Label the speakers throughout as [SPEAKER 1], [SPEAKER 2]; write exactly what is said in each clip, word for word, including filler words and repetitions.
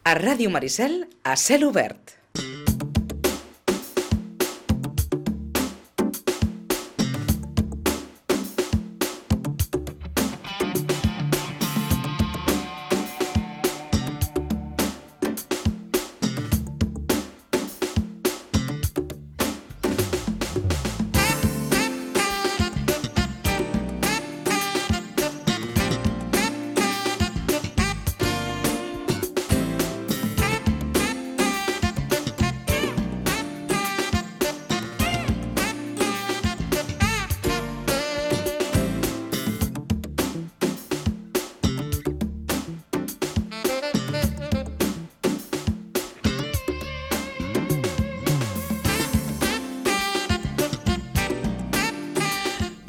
[SPEAKER 1] A Ràdio Maricel, a cel obert.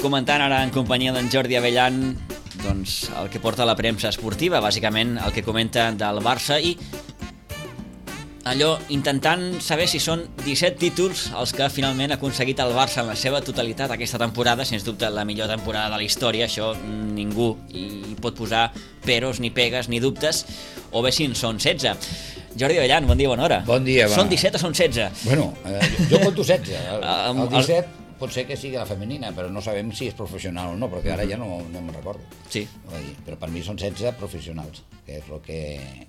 [SPEAKER 2] Comentant ara en companyia d'en Jordi Avellan doncs el que porta la premsa esportiva, bàsicament el que comenta del Barça i allò intentant saber si són disset títols els que finalment ha aconseguit el Barça en la seva totalitat aquesta temporada, sens dubte la millor temporada de la història, això ningú hi pot posar peros, ni pegues, ni dubtes, o bé si en són setze. Jordi Avellan, bon dia, bona hora.
[SPEAKER 3] Bon dia, va.
[SPEAKER 2] Són disset o són setze?
[SPEAKER 3] Bueno, eh, jo conto setze. El, el disset pot ser que sigui la femenina, però no sabem si és professional o no, perquè ara ja no, no me'n recordo.
[SPEAKER 2] Sí.
[SPEAKER 3] Però per mi són setze professionals, que és el que,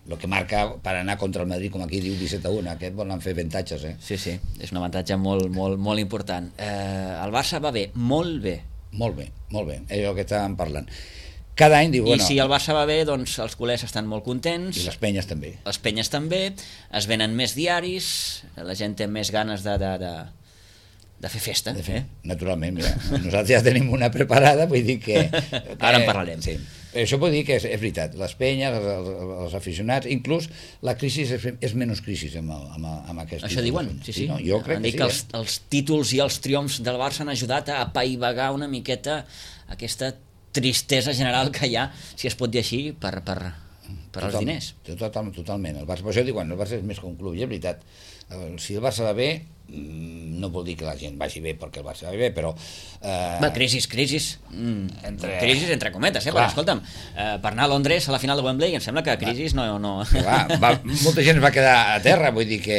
[SPEAKER 3] lo que marca per anar contra el Madrid, com aquí diu disset a un. Aquest volen fer avantatges, eh?
[SPEAKER 2] Sí, sí, és un avantatge molt, molt, molt important. Eh, el Barça va bé, molt bé.
[SPEAKER 3] Molt bé, molt bé, és el que estàvem parlant. Cada any diu,
[SPEAKER 2] I
[SPEAKER 3] bueno...
[SPEAKER 2] si el Barça va bé, doncs els culers estan molt contents.
[SPEAKER 3] I les penyes també.
[SPEAKER 2] Les penyes també, es venen més diaris, la gent té més ganes de... de, de... de fer festa.
[SPEAKER 3] De fer, eh? Naturalment, mira. Nosaltres ja tenim una preparada, vull dir que... que
[SPEAKER 2] ara en parlarem.
[SPEAKER 3] Sí. Això vull dir que és, és veritat, les penyes, els, els, els aficionats, inclús la crisi és, és menys crisi amb, amb, amb aquest...
[SPEAKER 2] Això diuen, sí, sí.
[SPEAKER 3] sí no? Jo crec
[SPEAKER 2] Han
[SPEAKER 3] que
[SPEAKER 2] dit
[SPEAKER 3] sí.
[SPEAKER 2] que els, eh? els títols i els triomfs del Barça han ajudat a apaivagar una miqueta aquesta tristesa general que hi ha, si es pot dir així, per, per, per als diners.
[SPEAKER 3] Total, totalment. El Barça, per això diuen, el Barça és més que un club, i és veritat. Si el Barça va bé, no vol dir que la gent vagi bé perquè el Barça va bé, però...
[SPEAKER 2] Eh... Va, crisis, crisis. Mm, entre... Crisis entre cometes, eh?
[SPEAKER 3] Clar.
[SPEAKER 2] Però escolta'm, eh, per anar a Londres a la final de Wembley em sembla que crisis no... no...
[SPEAKER 3] Va, va, molta gent es va quedar a terra, vull dir que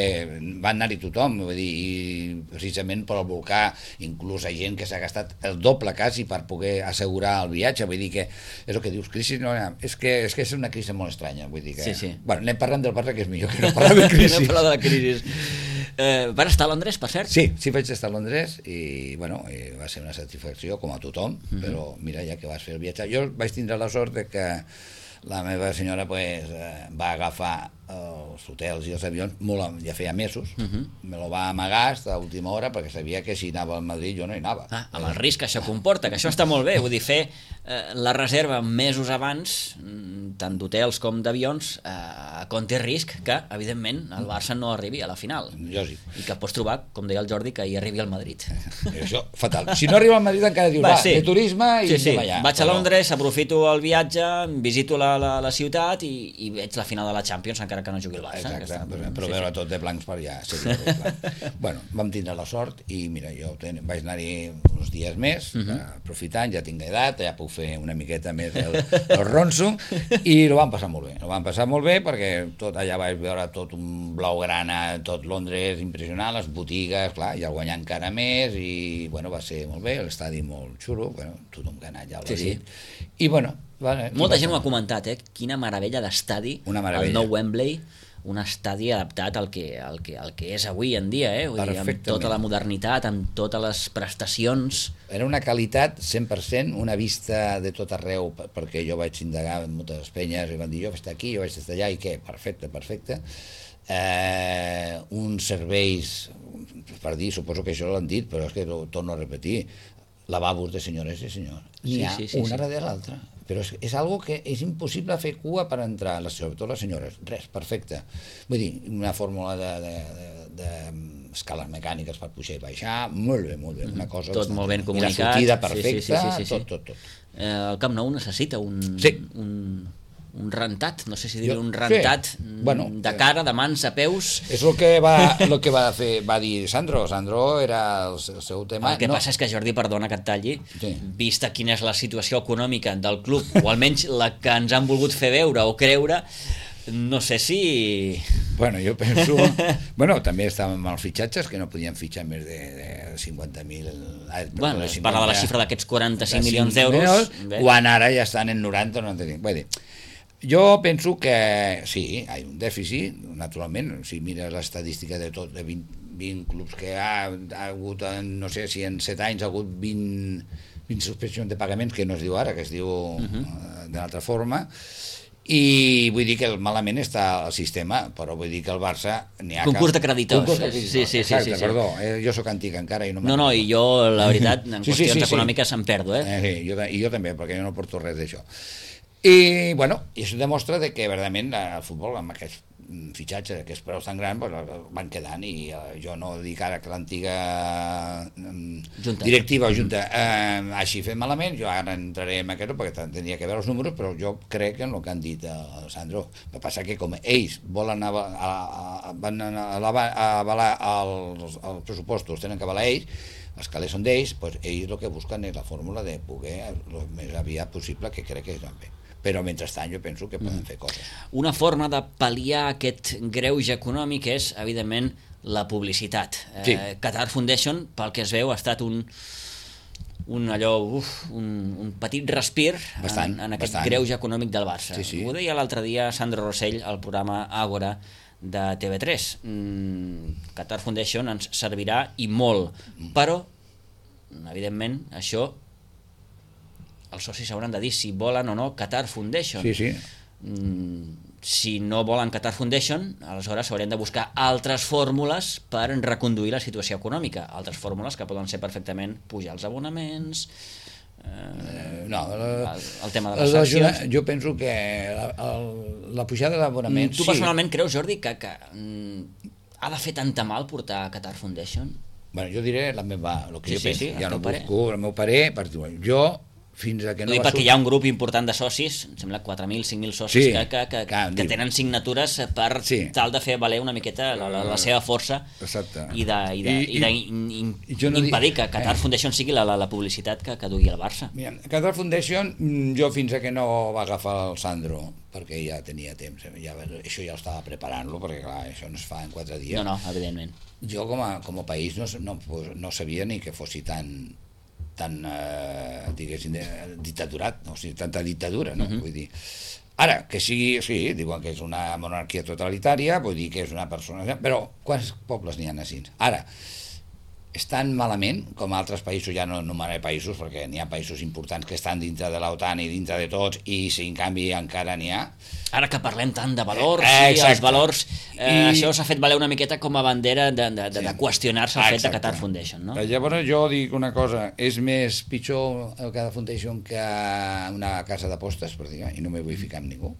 [SPEAKER 3] va anar-hi tothom, vull dir, i precisament per el volcà, inclús hi ha gent que s'ha gastat el doble quasi per poder assegurar el viatge, vull dir que és el que dius, crisi no, és que és, que és una crisi molt estranya, vull dir que...
[SPEAKER 2] Sí, sí.
[SPEAKER 3] Bueno, anem parlant del Barça, que és millor que no parlar de crisi.
[SPEAKER 2] No parlar de la crisi. Eh, vas estar a Londres, per cert?
[SPEAKER 3] Sí, sí vaig estar a Londres i bueno, eh, va ser una satisfacció com a tothom, uh-huh. Però mira, ja que vas fer el viatge, jo vaig tindre la sort de que la meva senyora pues, eh, va agafar els hotels i els avions molt, ja feia mesos, uh-huh. Me lo va amagar fins a última hora perquè sabia que si anava al Madrid jo no hi anava.
[SPEAKER 2] Ah, amb el risc que això comporta, que això està molt bé, vull dir, fer eh, la reserva mesos abans, tant d'hotels com d'avions, eh, conté risc que, evidentment, el Barça no arribi a la final.
[SPEAKER 3] Lògic.
[SPEAKER 2] I que pots trobar, com deia el Jordi, que hi arribi al Madrid.
[SPEAKER 3] Això, fatal. Si no arriba al Madrid encara dius, va, va sí. De turisme i
[SPEAKER 2] sí, sí.
[SPEAKER 3] allà.
[SPEAKER 2] Vaig a Londres, aprofito el viatge, visito la, la, la ciutat i, i veig la final de la Champions, encara que no jugui el Barça.
[SPEAKER 3] Exacte,
[SPEAKER 2] està,
[SPEAKER 3] però, però
[SPEAKER 2] sí,
[SPEAKER 3] veure
[SPEAKER 2] sí.
[SPEAKER 3] tot de blancs per allà seria bueno, vam tindre la sort i mira, jo ten... vaig anar-hi uns dies més, uh -huh. aprofitant, ja tinc edat, ja puc fer una miqueta més el, el ronso i ho vam passar molt bé, ho vam passar molt bé perquè tot allà vaig veure tot un blaugrana, tot Londres impressionant, les botigues, clar, ja guanyar encara més i bueno, va ser molt bé, l'estadi molt xulo, bueno, tothom que ha anat ja l'ha
[SPEAKER 2] sí,
[SPEAKER 3] dit
[SPEAKER 2] sí.
[SPEAKER 3] I bueno, vale,
[SPEAKER 2] molta gent ho ha comentat, eh? Quina meravella d'estadi, el nou Wembley, un estadi adaptat al que, al que, al que és avui en dia, eh? Vull dir, amb tota la modernitat, amb totes les prestacions.
[SPEAKER 3] Era una qualitat cent per cent, una vista de tot arreu, perquè jo vaig indagar en moltes penyes i van dir, jo vaig estar aquí, jo vaig estar allà, i què? Perfecte, perfecte. Eh, uns serveis, per dir, suposo que això l'han dit, però és que ho torno a repetir, lavabos de senyores i senyors. N'hi ha sí, sí, sí, una sí. darrere l'altra. Però és, és algo que és impossible fer cua per entrar, sobretot les senyores. Res, perfecte. Vull dir, una fórmula d'escales mecàniques per pujar i baixar, molt bé, molt bé. Una cosa
[SPEAKER 2] tot molt ben comunicat.
[SPEAKER 3] I la sortida perfecta,
[SPEAKER 2] sí, sí, sí, sí, sí.
[SPEAKER 3] tot, tot, tot.
[SPEAKER 2] Eh, el Camp Nou necessita un...
[SPEAKER 3] Sí.
[SPEAKER 2] un... un rentat, no sé si dir un rentat sí. bueno, de cara, de mans a peus.
[SPEAKER 3] És el que va, el que va, fer, va dir Sandro. Sandro era el, el seu tema.
[SPEAKER 2] El que
[SPEAKER 3] no.
[SPEAKER 2] passa és que, Jordi, perdona que et talli,
[SPEAKER 3] sí.
[SPEAKER 2] Vista quina és la situació econòmica del club, o almenys la que ens han volgut fer veure o creure, no sé si...
[SPEAKER 3] Bueno, jo penso... bueno, també estàvem amb els fitxatges, que no podien fitxar més de, de cinquanta mil...
[SPEAKER 2] Bueno, es parla de la xifra d'aquests quaranta-cinc milions d'euros.
[SPEAKER 3] Quan ara ja estan en noranta o noranta-cinc. Vull dir, jo penso que sí, hi ha un dèficit, naturalment, si mires l'estadística de tot, de vint, vint clubs que ha, ha hagut, no sé si en set anys ha hagut vint, vint suspensions de pagaments, que no es diu ara, que es diu uh-huh. d'una altra forma, i vull dir que malament està el sistema, però vull dir que el Barça n'hi ha...
[SPEAKER 2] Concurs de creditors.
[SPEAKER 3] Concurs de creditors,
[SPEAKER 2] sí, sí,
[SPEAKER 3] exacte,
[SPEAKER 2] sí, sí, sí.
[SPEAKER 3] perdó, eh, jo sóc antic encara i no...
[SPEAKER 2] No, no, i jo, la veritat, en
[SPEAKER 3] sí,
[SPEAKER 2] qüestions
[SPEAKER 3] sí, sí,
[SPEAKER 2] econòmiques sí. em perdo, eh?
[SPEAKER 3] eh sí, jo, i jo també, perquè jo no porto res d'això. I, bueno, i això demostra de que, verdament, el futbol, amb aquests fitxatges, aquests preus tan grans, pues, van quedant, i uh, jo no dic ara que l'antiga um, directiva o junta uh, hagi fet malament, jo ara entraré en aquest, perquè tindria que veure els números, però jo crec en el que han dit uh, Sandro. El que passa que com ells volen ava, a, a, van a, a avalar els, els pressupostos, tenen que avalar ells, els calés són d'ells, pues, ells el que busquen és la fórmula de poder el més aviat possible, que crec que és ben bé. Però mentrestant jo penso que poden fer coses.
[SPEAKER 2] Una forma de pal·liar aquest greuge econòmic és, evidentment, la publicitat.
[SPEAKER 3] Sí.
[SPEAKER 2] Eh, Qatar Foundation, pel que es veu, ha estat un, un allò, uf, un, un petit respir
[SPEAKER 3] bastant,
[SPEAKER 2] en, en aquest
[SPEAKER 3] bastant.
[SPEAKER 2] greuge econòmic del Barça.
[SPEAKER 3] Sí, sí.
[SPEAKER 2] Ho deia l'altre dia Sandro Rossell al programa Àgora de T V tres. Mm, Qatar Foundation ens servirà i molt, però, evidentment, això els socis hauran de dir si volen o no Qatar Foundation.
[SPEAKER 3] Sí, sí.
[SPEAKER 2] Mm, si no volen Qatar Foundation, aleshores haurem de buscar altres fórmules per reconduir la situació econòmica. Altres fórmules que poden ser perfectament pujar els abonaments, eh,
[SPEAKER 3] no, la,
[SPEAKER 2] el, el tema de les sancions.
[SPEAKER 3] Jo penso que la, el, la pujada d'abonaments...
[SPEAKER 2] Tu
[SPEAKER 3] sí.
[SPEAKER 2] personalment creus, Jordi, que, que mm, ha de fer tanta mal portar Qatar Foundation?
[SPEAKER 3] Bueno, jo diré la meva, el que
[SPEAKER 2] Sí,
[SPEAKER 3] jo
[SPEAKER 2] sí,
[SPEAKER 3] penso.
[SPEAKER 2] sí,
[SPEAKER 3] ja
[SPEAKER 2] el
[SPEAKER 3] no
[SPEAKER 2] teu parer.
[SPEAKER 3] busco el meu parer, per dir, jo fins a que no
[SPEAKER 2] Dic
[SPEAKER 3] va
[SPEAKER 2] perquè
[SPEAKER 3] sortir...
[SPEAKER 2] hi ha un grup important de socis, em sembla quatre mil, cinc mil socis,
[SPEAKER 3] Sí,
[SPEAKER 2] que, que, que,
[SPEAKER 3] clar,
[SPEAKER 2] que
[SPEAKER 3] diu.
[SPEAKER 2] tenen signatures per
[SPEAKER 3] Sí.
[SPEAKER 2] tal de fer valer una miqueta la, la, la seva força
[SPEAKER 3] Exacte.
[SPEAKER 2] i de, i de,
[SPEAKER 3] I-
[SPEAKER 2] i de
[SPEAKER 3] i-
[SPEAKER 2] in, in,
[SPEAKER 3] i jo no
[SPEAKER 2] impedir
[SPEAKER 3] dic-
[SPEAKER 2] que Qatar
[SPEAKER 3] eh.
[SPEAKER 2] Foundation sigui la, la, la publicitat que, que dugui el Barça.
[SPEAKER 3] Mira, Qatar Foundation, mm, jo fins a que no va agafar el Sandro, perquè ja tenia temps, ja, això ja estava preparant-lo, perquè clar, això no es fa en quatre dies.
[SPEAKER 2] No, no, evidentment.
[SPEAKER 3] Jo com a, com a país no, no, no sabia ni que fossi tan tan, eh, diguéssim, dictaturat, no? O sigui, tanta dictadura, no? Uh-huh. Vull dir, ara, que sigui, sí, diuen que és una monarquia totalitària, vull dir que és una persona... Però quants pobles n'hi ha així? Ara, estan malament, com altres països, ja no enumeraré països, perquè n'hi ha països importants que estan dintre de l'OTAN i dintre de tots, i si en canvi encara n'hi ha...
[SPEAKER 2] Ara que parlem tant de valors,
[SPEAKER 3] eh,
[SPEAKER 2] i els valors, eh,
[SPEAKER 3] I...
[SPEAKER 2] això s'ha fet valer una miqueta com a bandera de, de, de, de qüestionar-se el fet de Qatar Foundation, no?
[SPEAKER 3] Llavors jo dic una cosa, és més pitjor el Qatar Foundation que una casa d'apostes, per dir, i no m'hi vull ficar amb ningú.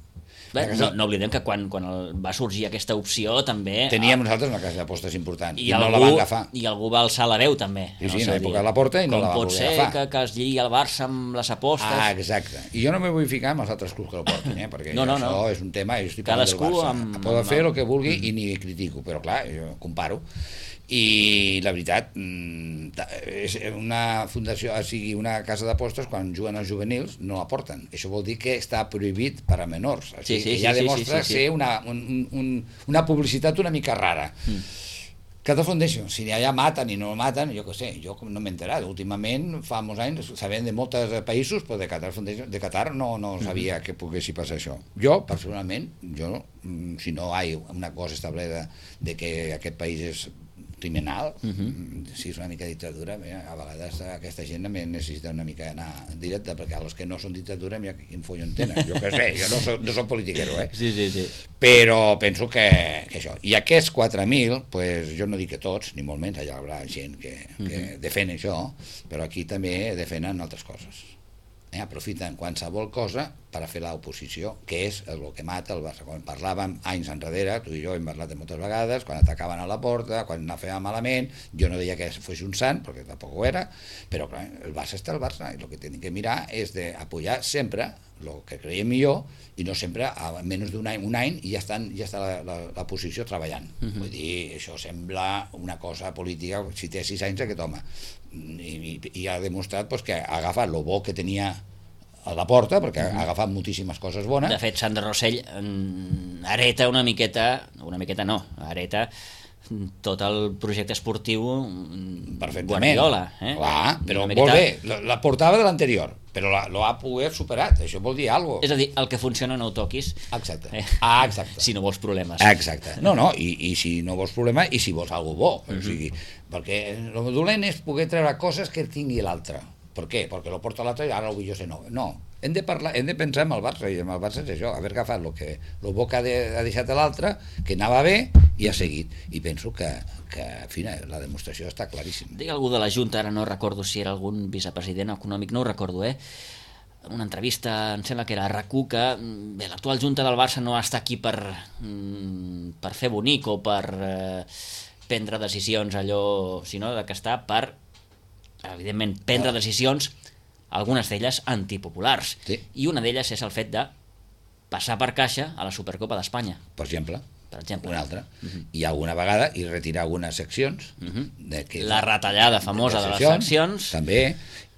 [SPEAKER 2] Bé, no, no oblidem que quan, quan el, va sorgir aquesta opció també...
[SPEAKER 3] Teníem nosaltres una casa d'apostes important i,
[SPEAKER 2] i
[SPEAKER 3] no
[SPEAKER 2] algú,
[SPEAKER 3] la van agafar.
[SPEAKER 2] I algú va alçar la veu també.
[SPEAKER 3] Sí, sí, en l'època de la Porta i no la va
[SPEAKER 2] pot
[SPEAKER 3] poder
[SPEAKER 2] ser
[SPEAKER 3] agafar.
[SPEAKER 2] que, que es lligui el Barça amb les apostes?
[SPEAKER 3] Ah, exacte. I jo no m'hi vull ficar amb els altres clubs que el porten, eh? Perquè
[SPEAKER 2] no, no,
[SPEAKER 3] això
[SPEAKER 2] no.
[SPEAKER 3] és un tema, jo estic
[SPEAKER 2] Cadascú
[SPEAKER 3] parlant del Barça.
[SPEAKER 2] amb-
[SPEAKER 3] Poden
[SPEAKER 2] amb-
[SPEAKER 3] fer el que vulgui i ni critico, però clar, jo comparo. I la veritat, mm, ta- és una fundació, o sigui, una casa d'apostes, quan juguen els juvenils, no la porten. Això vol dir que està prohibit per a menors. O sigui,
[SPEAKER 2] Sí, sí,
[SPEAKER 3] que ja
[SPEAKER 2] sí, sí,
[SPEAKER 3] demostra
[SPEAKER 2] sí, sí, sí.
[SPEAKER 3] ser una, un, un, una publicitat una mica rara. Mm. Qatar Foundation, si allà maten i no maten, jo què sé, jo com no m'he enterat. Últimament, fa molts anys, sabent de molts països, però de Qatar Foundation, de Qatar no, no sabia que poguessi passar això. Jo, personalment, jo, mm, si no hi ha una cosa establerta de que aquest país és criminal, uh -huh. si és una mica dictadura, bé, a vegades aquesta gent també necessita una mica anar directe, perquè els que no són dictadura, mira quin follon tenen, jo què sé, jo no soc, no soc politiquero, eh?
[SPEAKER 2] Sí, sí, sí.
[SPEAKER 3] Però penso que, que això. I aquests quatre mil, pues, jo no dic que tots, ni molt menys, allà hi haurà gent que, que uh-huh. defèn això, però aquí també defenen altres coses. Eh, aprofiten qualsevol cosa per a fer l'oposició, que és el que mata el Barça. Quan parlàvem anys enrere, tu i jo hem parlat moltes vegades, quan atacaven a la porta, quan no feia malament, jo no deia que fos un sant, perquè tampoc ho era, però clar, el Barça està el Barça, i el que tenim que mirar és d'apoyar sempre el que creiem millor, i no sempre a menys d'un any, un any i ja, estan, ja està la, la, la posició treballant. Uh-huh. Vull dir, això sembla una cosa política, si té sis anys aquest home, i, i, i ha demostrat pues, que ha agafat el bo que tenia a la porta, perquè ha agafat moltíssimes coses bones.
[SPEAKER 2] De fet, Sandro Rossell hereta una miqueta, una miqueta no, hereta tot el projecte esportiu Guardiola. Eh?
[SPEAKER 3] Clar, però
[SPEAKER 2] miqueta...
[SPEAKER 3] molt bé, la, la portava de l'anterior, però la, lo ha pogut superat, això vol dir alguna cosa.
[SPEAKER 2] És a dir, el que funciona no ho toquis.
[SPEAKER 3] Exacte,
[SPEAKER 2] Eh?
[SPEAKER 3] ah, exacte.
[SPEAKER 2] Si no vols problemes.
[SPEAKER 3] Exacte, no, no, i, i si no vols problema, i si vols alguna bo, uh-huh. O sigui, perquè el dolent és poder treure coses que tingui l'altre. Per què? Perquè lo porta l'altre i ara ho vull jo ser nou. No, hem de, parlar, hem de pensar en el Barça, i en el Barça és això, haver agafat el que el bo que ha, de, ha deixat l'altre, que anava bé, i ha seguit. I penso que, que en fi, la demostració està claríssima.
[SPEAKER 2] Dic algú de la Junta, ara no recordo si era algun vicepresident econòmic, no ho recordo, eh? Una entrevista, em sembla que era a RAC u, que bé, l'actual Junta del Barça no està aquí per, per fer bonic o per eh, prendre decisions allò, sinó que està per, evidentment, prendre decisions, algunes d'elles antipopulars.
[SPEAKER 3] Sí.
[SPEAKER 2] I una d'elles és el fet de passar per caixa a la Supercopa d'Espanya.
[SPEAKER 3] Per exemple,
[SPEAKER 2] Per exemple.
[SPEAKER 3] una altra.
[SPEAKER 2] Uh-huh.
[SPEAKER 3] I alguna vegada, i retirar algunes seccions.
[SPEAKER 2] Uh-huh.
[SPEAKER 3] De que,
[SPEAKER 2] La retallada famosa de, de les seccions.
[SPEAKER 3] També,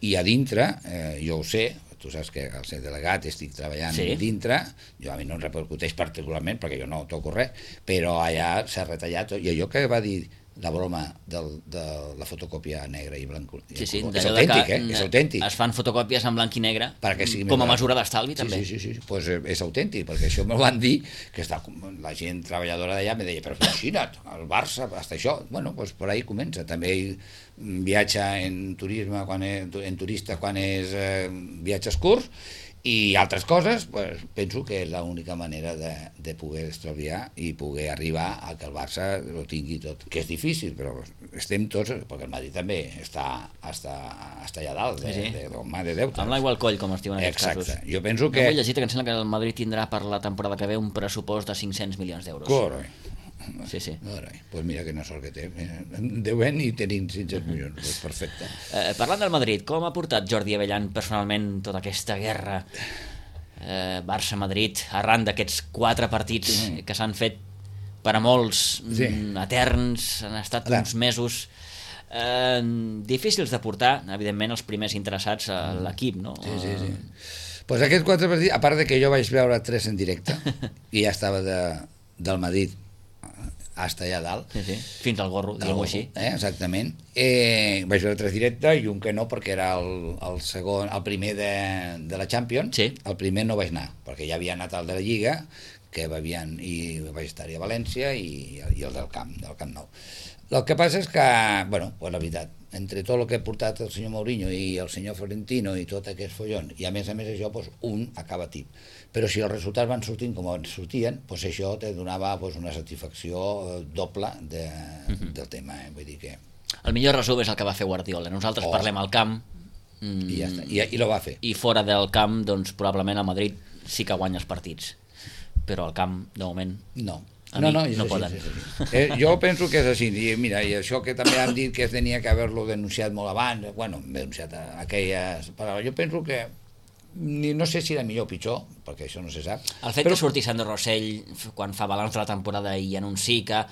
[SPEAKER 3] i a dintre, eh, jo ho sé, tu saps que al ser delegat estic treballant
[SPEAKER 2] sí.
[SPEAKER 3] dintre, jo a mi no em repercuteix particularment perquè jo no toco res, però allà s'ha retallat tot, i allò que va dir la broma del, de la fotocòpia negra i blanc
[SPEAKER 2] sí, sí,
[SPEAKER 3] és autèntic, eh? És autèntic.
[SPEAKER 2] Es fan fotocòpies en blanc i negre
[SPEAKER 3] sí,
[SPEAKER 2] com a mesura d'estalvi,
[SPEAKER 3] sí,
[SPEAKER 2] també.
[SPEAKER 3] Sí, sí, sí, pues és autèntic, perquè això me van dir, que està, la gent treballadora d'allà me deia, però imagina't, el Barça, hasta això, bueno, pues per ahí comença. També viatja en turisme, quan és, en turista quan és eh, viatges curts, i altres coses, pues, penso que és l'única manera de, de poder estalviar i poder arribar a que el Barça ho tingui tot, que és difícil, però estem tots, perquè el Madrid també està, està, està allà dalt de, sí, sí. de, de, de, de deute.
[SPEAKER 2] Amb l'aigua al coll, com es diu en aquests
[SPEAKER 3] Exacte.
[SPEAKER 2] casos.
[SPEAKER 3] Jo penso que...
[SPEAKER 2] No vull llegir que em sembla que el Madrid tindrà per la temporada que ve un pressupost de cinc-cents milions d'euros.
[SPEAKER 3] Correcte.
[SPEAKER 2] Sí, sí.
[SPEAKER 3] Doncs pues mira quina sort que té. Deuen i tenim cinc-cents milions. Pues perfecte.
[SPEAKER 2] Eh, parlant del Madrid, com ha portat Jordi Avellan personalment tota aquesta guerra eh, Barça-Madrid arran d'aquests quatre partits mm. que s'han fet per a molts sí. eterns, han estat Clar. uns mesos eh, difícils de portar, evidentment els primers interessats a l'equip, no?
[SPEAKER 3] Sí, sí, sí. Pues aquests quatre partits, a part de que jo vaig veure tres en directe i ja estava de, del Madrid hasta allà dalt.
[SPEAKER 2] Sí, sí. Fins al gorro, diguem-ho així.
[SPEAKER 3] Eh, exactament. Eh, vaig veure tres directe i un que no, perquè era el, el segon, el primer de, de la Champions.
[SPEAKER 2] Sí.
[SPEAKER 3] El primer no vaig anar, perquè ja havia anat al de la Lliga, que havien, i vaig estar a València, i, i el del Camp, del Camp Nou. El que passa és que, bueno, pues la veritat, entre tot el que ha portat el senyor Mourinho i el senyor Florentino i tot aquest follon, i a més a més això, pues, un acaba tip. Però si els resultats van sortint com sortien, pues això te donava pues, una satisfacció doble de, uh-huh. del tema. Eh? Vull dir que...
[SPEAKER 2] El millor resum és el que va fer Guardiola. Nosaltres oh. parlem al camp mm,
[SPEAKER 3] i ja està, i, i lo va fer.
[SPEAKER 2] I fora del camp, doncs probablement el Madrid sí que guanya els partits, però al camp, de moment...
[SPEAKER 3] No.
[SPEAKER 2] A
[SPEAKER 3] no,
[SPEAKER 2] mi
[SPEAKER 3] no,
[SPEAKER 2] no
[SPEAKER 3] així,
[SPEAKER 2] poden.
[SPEAKER 3] És així. Eh, jo penso que és així. I mira, i això que també han dit que es tenia que haver-lo denunciat molt abans, bueno, denunciat aquelles paraules, jo penso que ni, no sé si era millor o pitjor, perquè això no se sap.
[SPEAKER 2] El fet
[SPEAKER 3] però...
[SPEAKER 2] que surti Sandro Rossell quan fa balanç de la temporada i anuncia que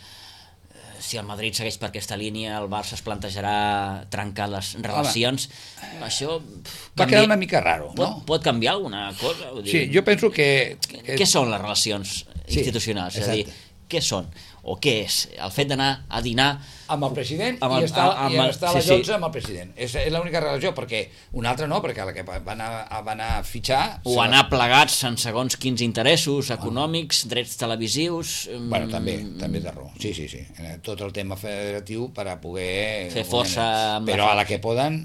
[SPEAKER 2] si el Madrid segueix per aquesta línia el Barça es plantejarà trencar les relacions. Home, això
[SPEAKER 3] va canvi... quedar una mica raro,
[SPEAKER 2] pot,
[SPEAKER 3] no?
[SPEAKER 2] Pot canviar alguna cosa? Vull dir,
[SPEAKER 3] sí, jo penso que...
[SPEAKER 2] que... Què són les relacions institucionals? Sí, és a dir, què són? O què és? El fet d'anar a dinar
[SPEAKER 3] amb el president
[SPEAKER 2] amb el,
[SPEAKER 3] i estar,
[SPEAKER 2] amb
[SPEAKER 3] i
[SPEAKER 2] el,
[SPEAKER 3] estar a les
[SPEAKER 2] sí,
[SPEAKER 3] dotze sí. amb el president. És, és l'única relació, perquè una altra no, perquè la que van anar, van anar a fitxar...
[SPEAKER 2] O anar la... plegats en segons quins interessos econòmics, ah. drets televisius...
[SPEAKER 3] Bueno, també, també de raó. Sí, sí, sí. Tot el tema federatiu per a poder...
[SPEAKER 2] Fer força...
[SPEAKER 3] Però a la que poden,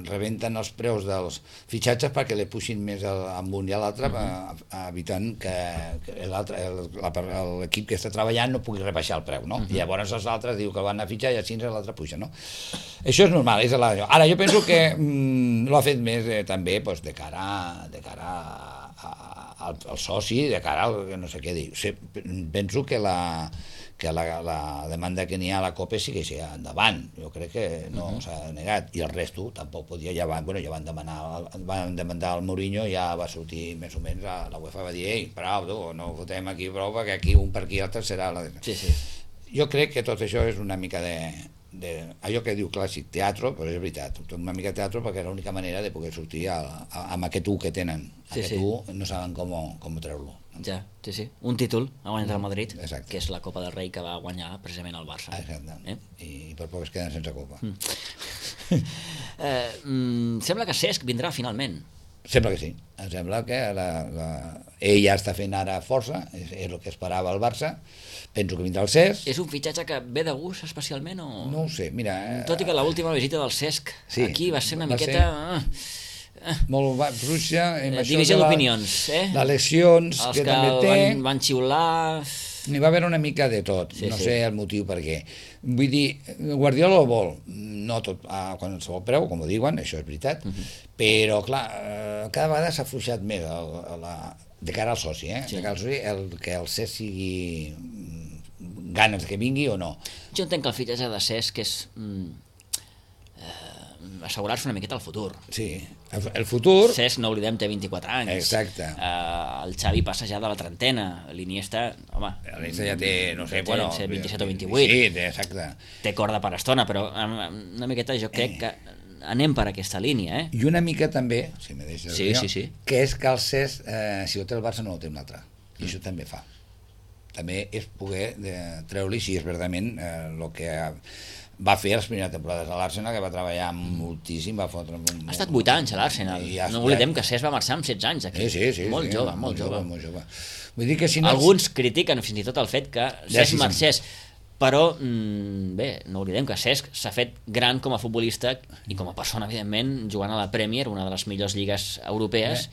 [SPEAKER 3] rebenten els preus dels fitxatges perquè li puixin més amb un i a l'altre, uh-huh. evitant que, que l'equip que està treballant no pugui rebaixar el preu, no? Uh-huh. I llavors els altres diu que van a fitxar i així l'altre puja, no? Això és normal, és la... Ara, jo penso que mm, l'ha fet més eh, també pues, de cara, de cara a, a, al, al soci, de cara al no sé què dir. O sigui, penso que la que la, la demanda que n'hi ha a la COPE sí que sigui endavant. Jo crec que no uh-huh. s'ha negat. I el resto tampoc podia... Ja van, bueno, ja van demanar van demandar el Mourinho, ja va sortir més o menys, la, la UEFA va dir ei, prou, tu, no ho fotem aquí prou, perquè aquí un per aquí i l'altre serà la...
[SPEAKER 2] Sí, sí.
[SPEAKER 3] Jo crec que tot això és una mica de, de allò que diu clàssic, teatre, però és veritat, una mica teatre perquè era l'única manera de poder sortir a, a, amb aquest u que tenen.
[SPEAKER 2] Sí,
[SPEAKER 3] aquest
[SPEAKER 2] sí.
[SPEAKER 3] u no saben com, com treure-lo.
[SPEAKER 2] Ja, sí, sí. Un títol ha guanyat el Madrid,
[SPEAKER 3] Exacte.
[SPEAKER 2] que és la Copa del Rei que va guanyar precisament el Barça.
[SPEAKER 3] Exacte.
[SPEAKER 2] Eh?
[SPEAKER 3] I per poc es queden sense copa.
[SPEAKER 2] Mm. eh, mm, sembla que Cesc vindrà finalment.
[SPEAKER 3] Sembla que sí. Em sembla que la, la... ell ja està fent ara força, és, és el que esperava el Barça. Penso que vindrà el Cesc.
[SPEAKER 2] És un fitxatge que ve de gust especialment o...?
[SPEAKER 3] No ho sé, mira... Eh...
[SPEAKER 2] Tot i que l'última visita del Cesc
[SPEAKER 3] sí,
[SPEAKER 2] aquí va ser una
[SPEAKER 3] va
[SPEAKER 2] miqueta...
[SPEAKER 3] Ser... molt fluixa
[SPEAKER 2] eh, divisió d'opinions, eh?
[SPEAKER 3] Les lesions
[SPEAKER 2] Els
[SPEAKER 3] que,
[SPEAKER 2] que
[SPEAKER 3] també té
[SPEAKER 2] van, van xiular...
[SPEAKER 3] n'hi va haver una mica de tot,
[SPEAKER 2] sí,
[SPEAKER 3] no
[SPEAKER 2] sí.
[SPEAKER 3] sé el motiu per què. Vull dir, Guardiola ho vol, no tot a qualsevol preu, com ho diuen, això és veritat, uh-huh. però clar, cada vegada s'ha afluixat més a, a la, de cara al soci, eh?
[SPEAKER 2] Sí.
[SPEAKER 3] De cara al soci, el, que el Cesc sigui ganes que vingui o no.
[SPEAKER 2] Jo entenc que el fitxatge de Cesc és mm, eh, assegurar-se una miqueta el futur.
[SPEAKER 3] Sí, el, el futur...
[SPEAKER 2] Cesc, no oblidem, té vint-i-quatre anys.
[SPEAKER 3] Exacte.
[SPEAKER 2] Eh, el Xavi passa ja de la trentena. L'Iniesta, home...
[SPEAKER 3] L'Iniesta ja té, no sé,
[SPEAKER 2] té,
[SPEAKER 3] bueno...
[SPEAKER 2] té vint-i-set o vint-i-vuit.
[SPEAKER 3] Sí, té, exacte.
[SPEAKER 2] Té corda per estona, però una miqueta jo crec que anem per aquesta línia, eh?
[SPEAKER 3] I una mica també, si me deixes
[SPEAKER 2] sí,
[SPEAKER 3] dir,
[SPEAKER 2] sí, sí.
[SPEAKER 3] que és que el Cesc, eh, si ho té el Barça no ho té un altre. I mm. això també fa. També és poder de, treure-li, si és verdament el eh, que va fer les primeres temporades a l'Arsenal, que va treballar moltíssim, va fotre...
[SPEAKER 2] Ha estat vuit anys a l'Arsenal. Ja, no oblidem que Cesc va marxar amb setze anys aquí.
[SPEAKER 3] Sí, sí, sí.
[SPEAKER 2] Molt
[SPEAKER 3] sí,
[SPEAKER 2] jove,
[SPEAKER 3] molt,
[SPEAKER 2] molt jove.
[SPEAKER 3] jove. Molt jove. Vull dir que si no...
[SPEAKER 2] Alguns critiquen fins i tot el fet que Cesc
[SPEAKER 3] ja, sí,
[SPEAKER 2] marxés, però mm, bé, no oblidem que Cesc s'ha fet gran com a futbolista i com a persona, evidentment, jugant a la Premier, una de les millors lligues europees,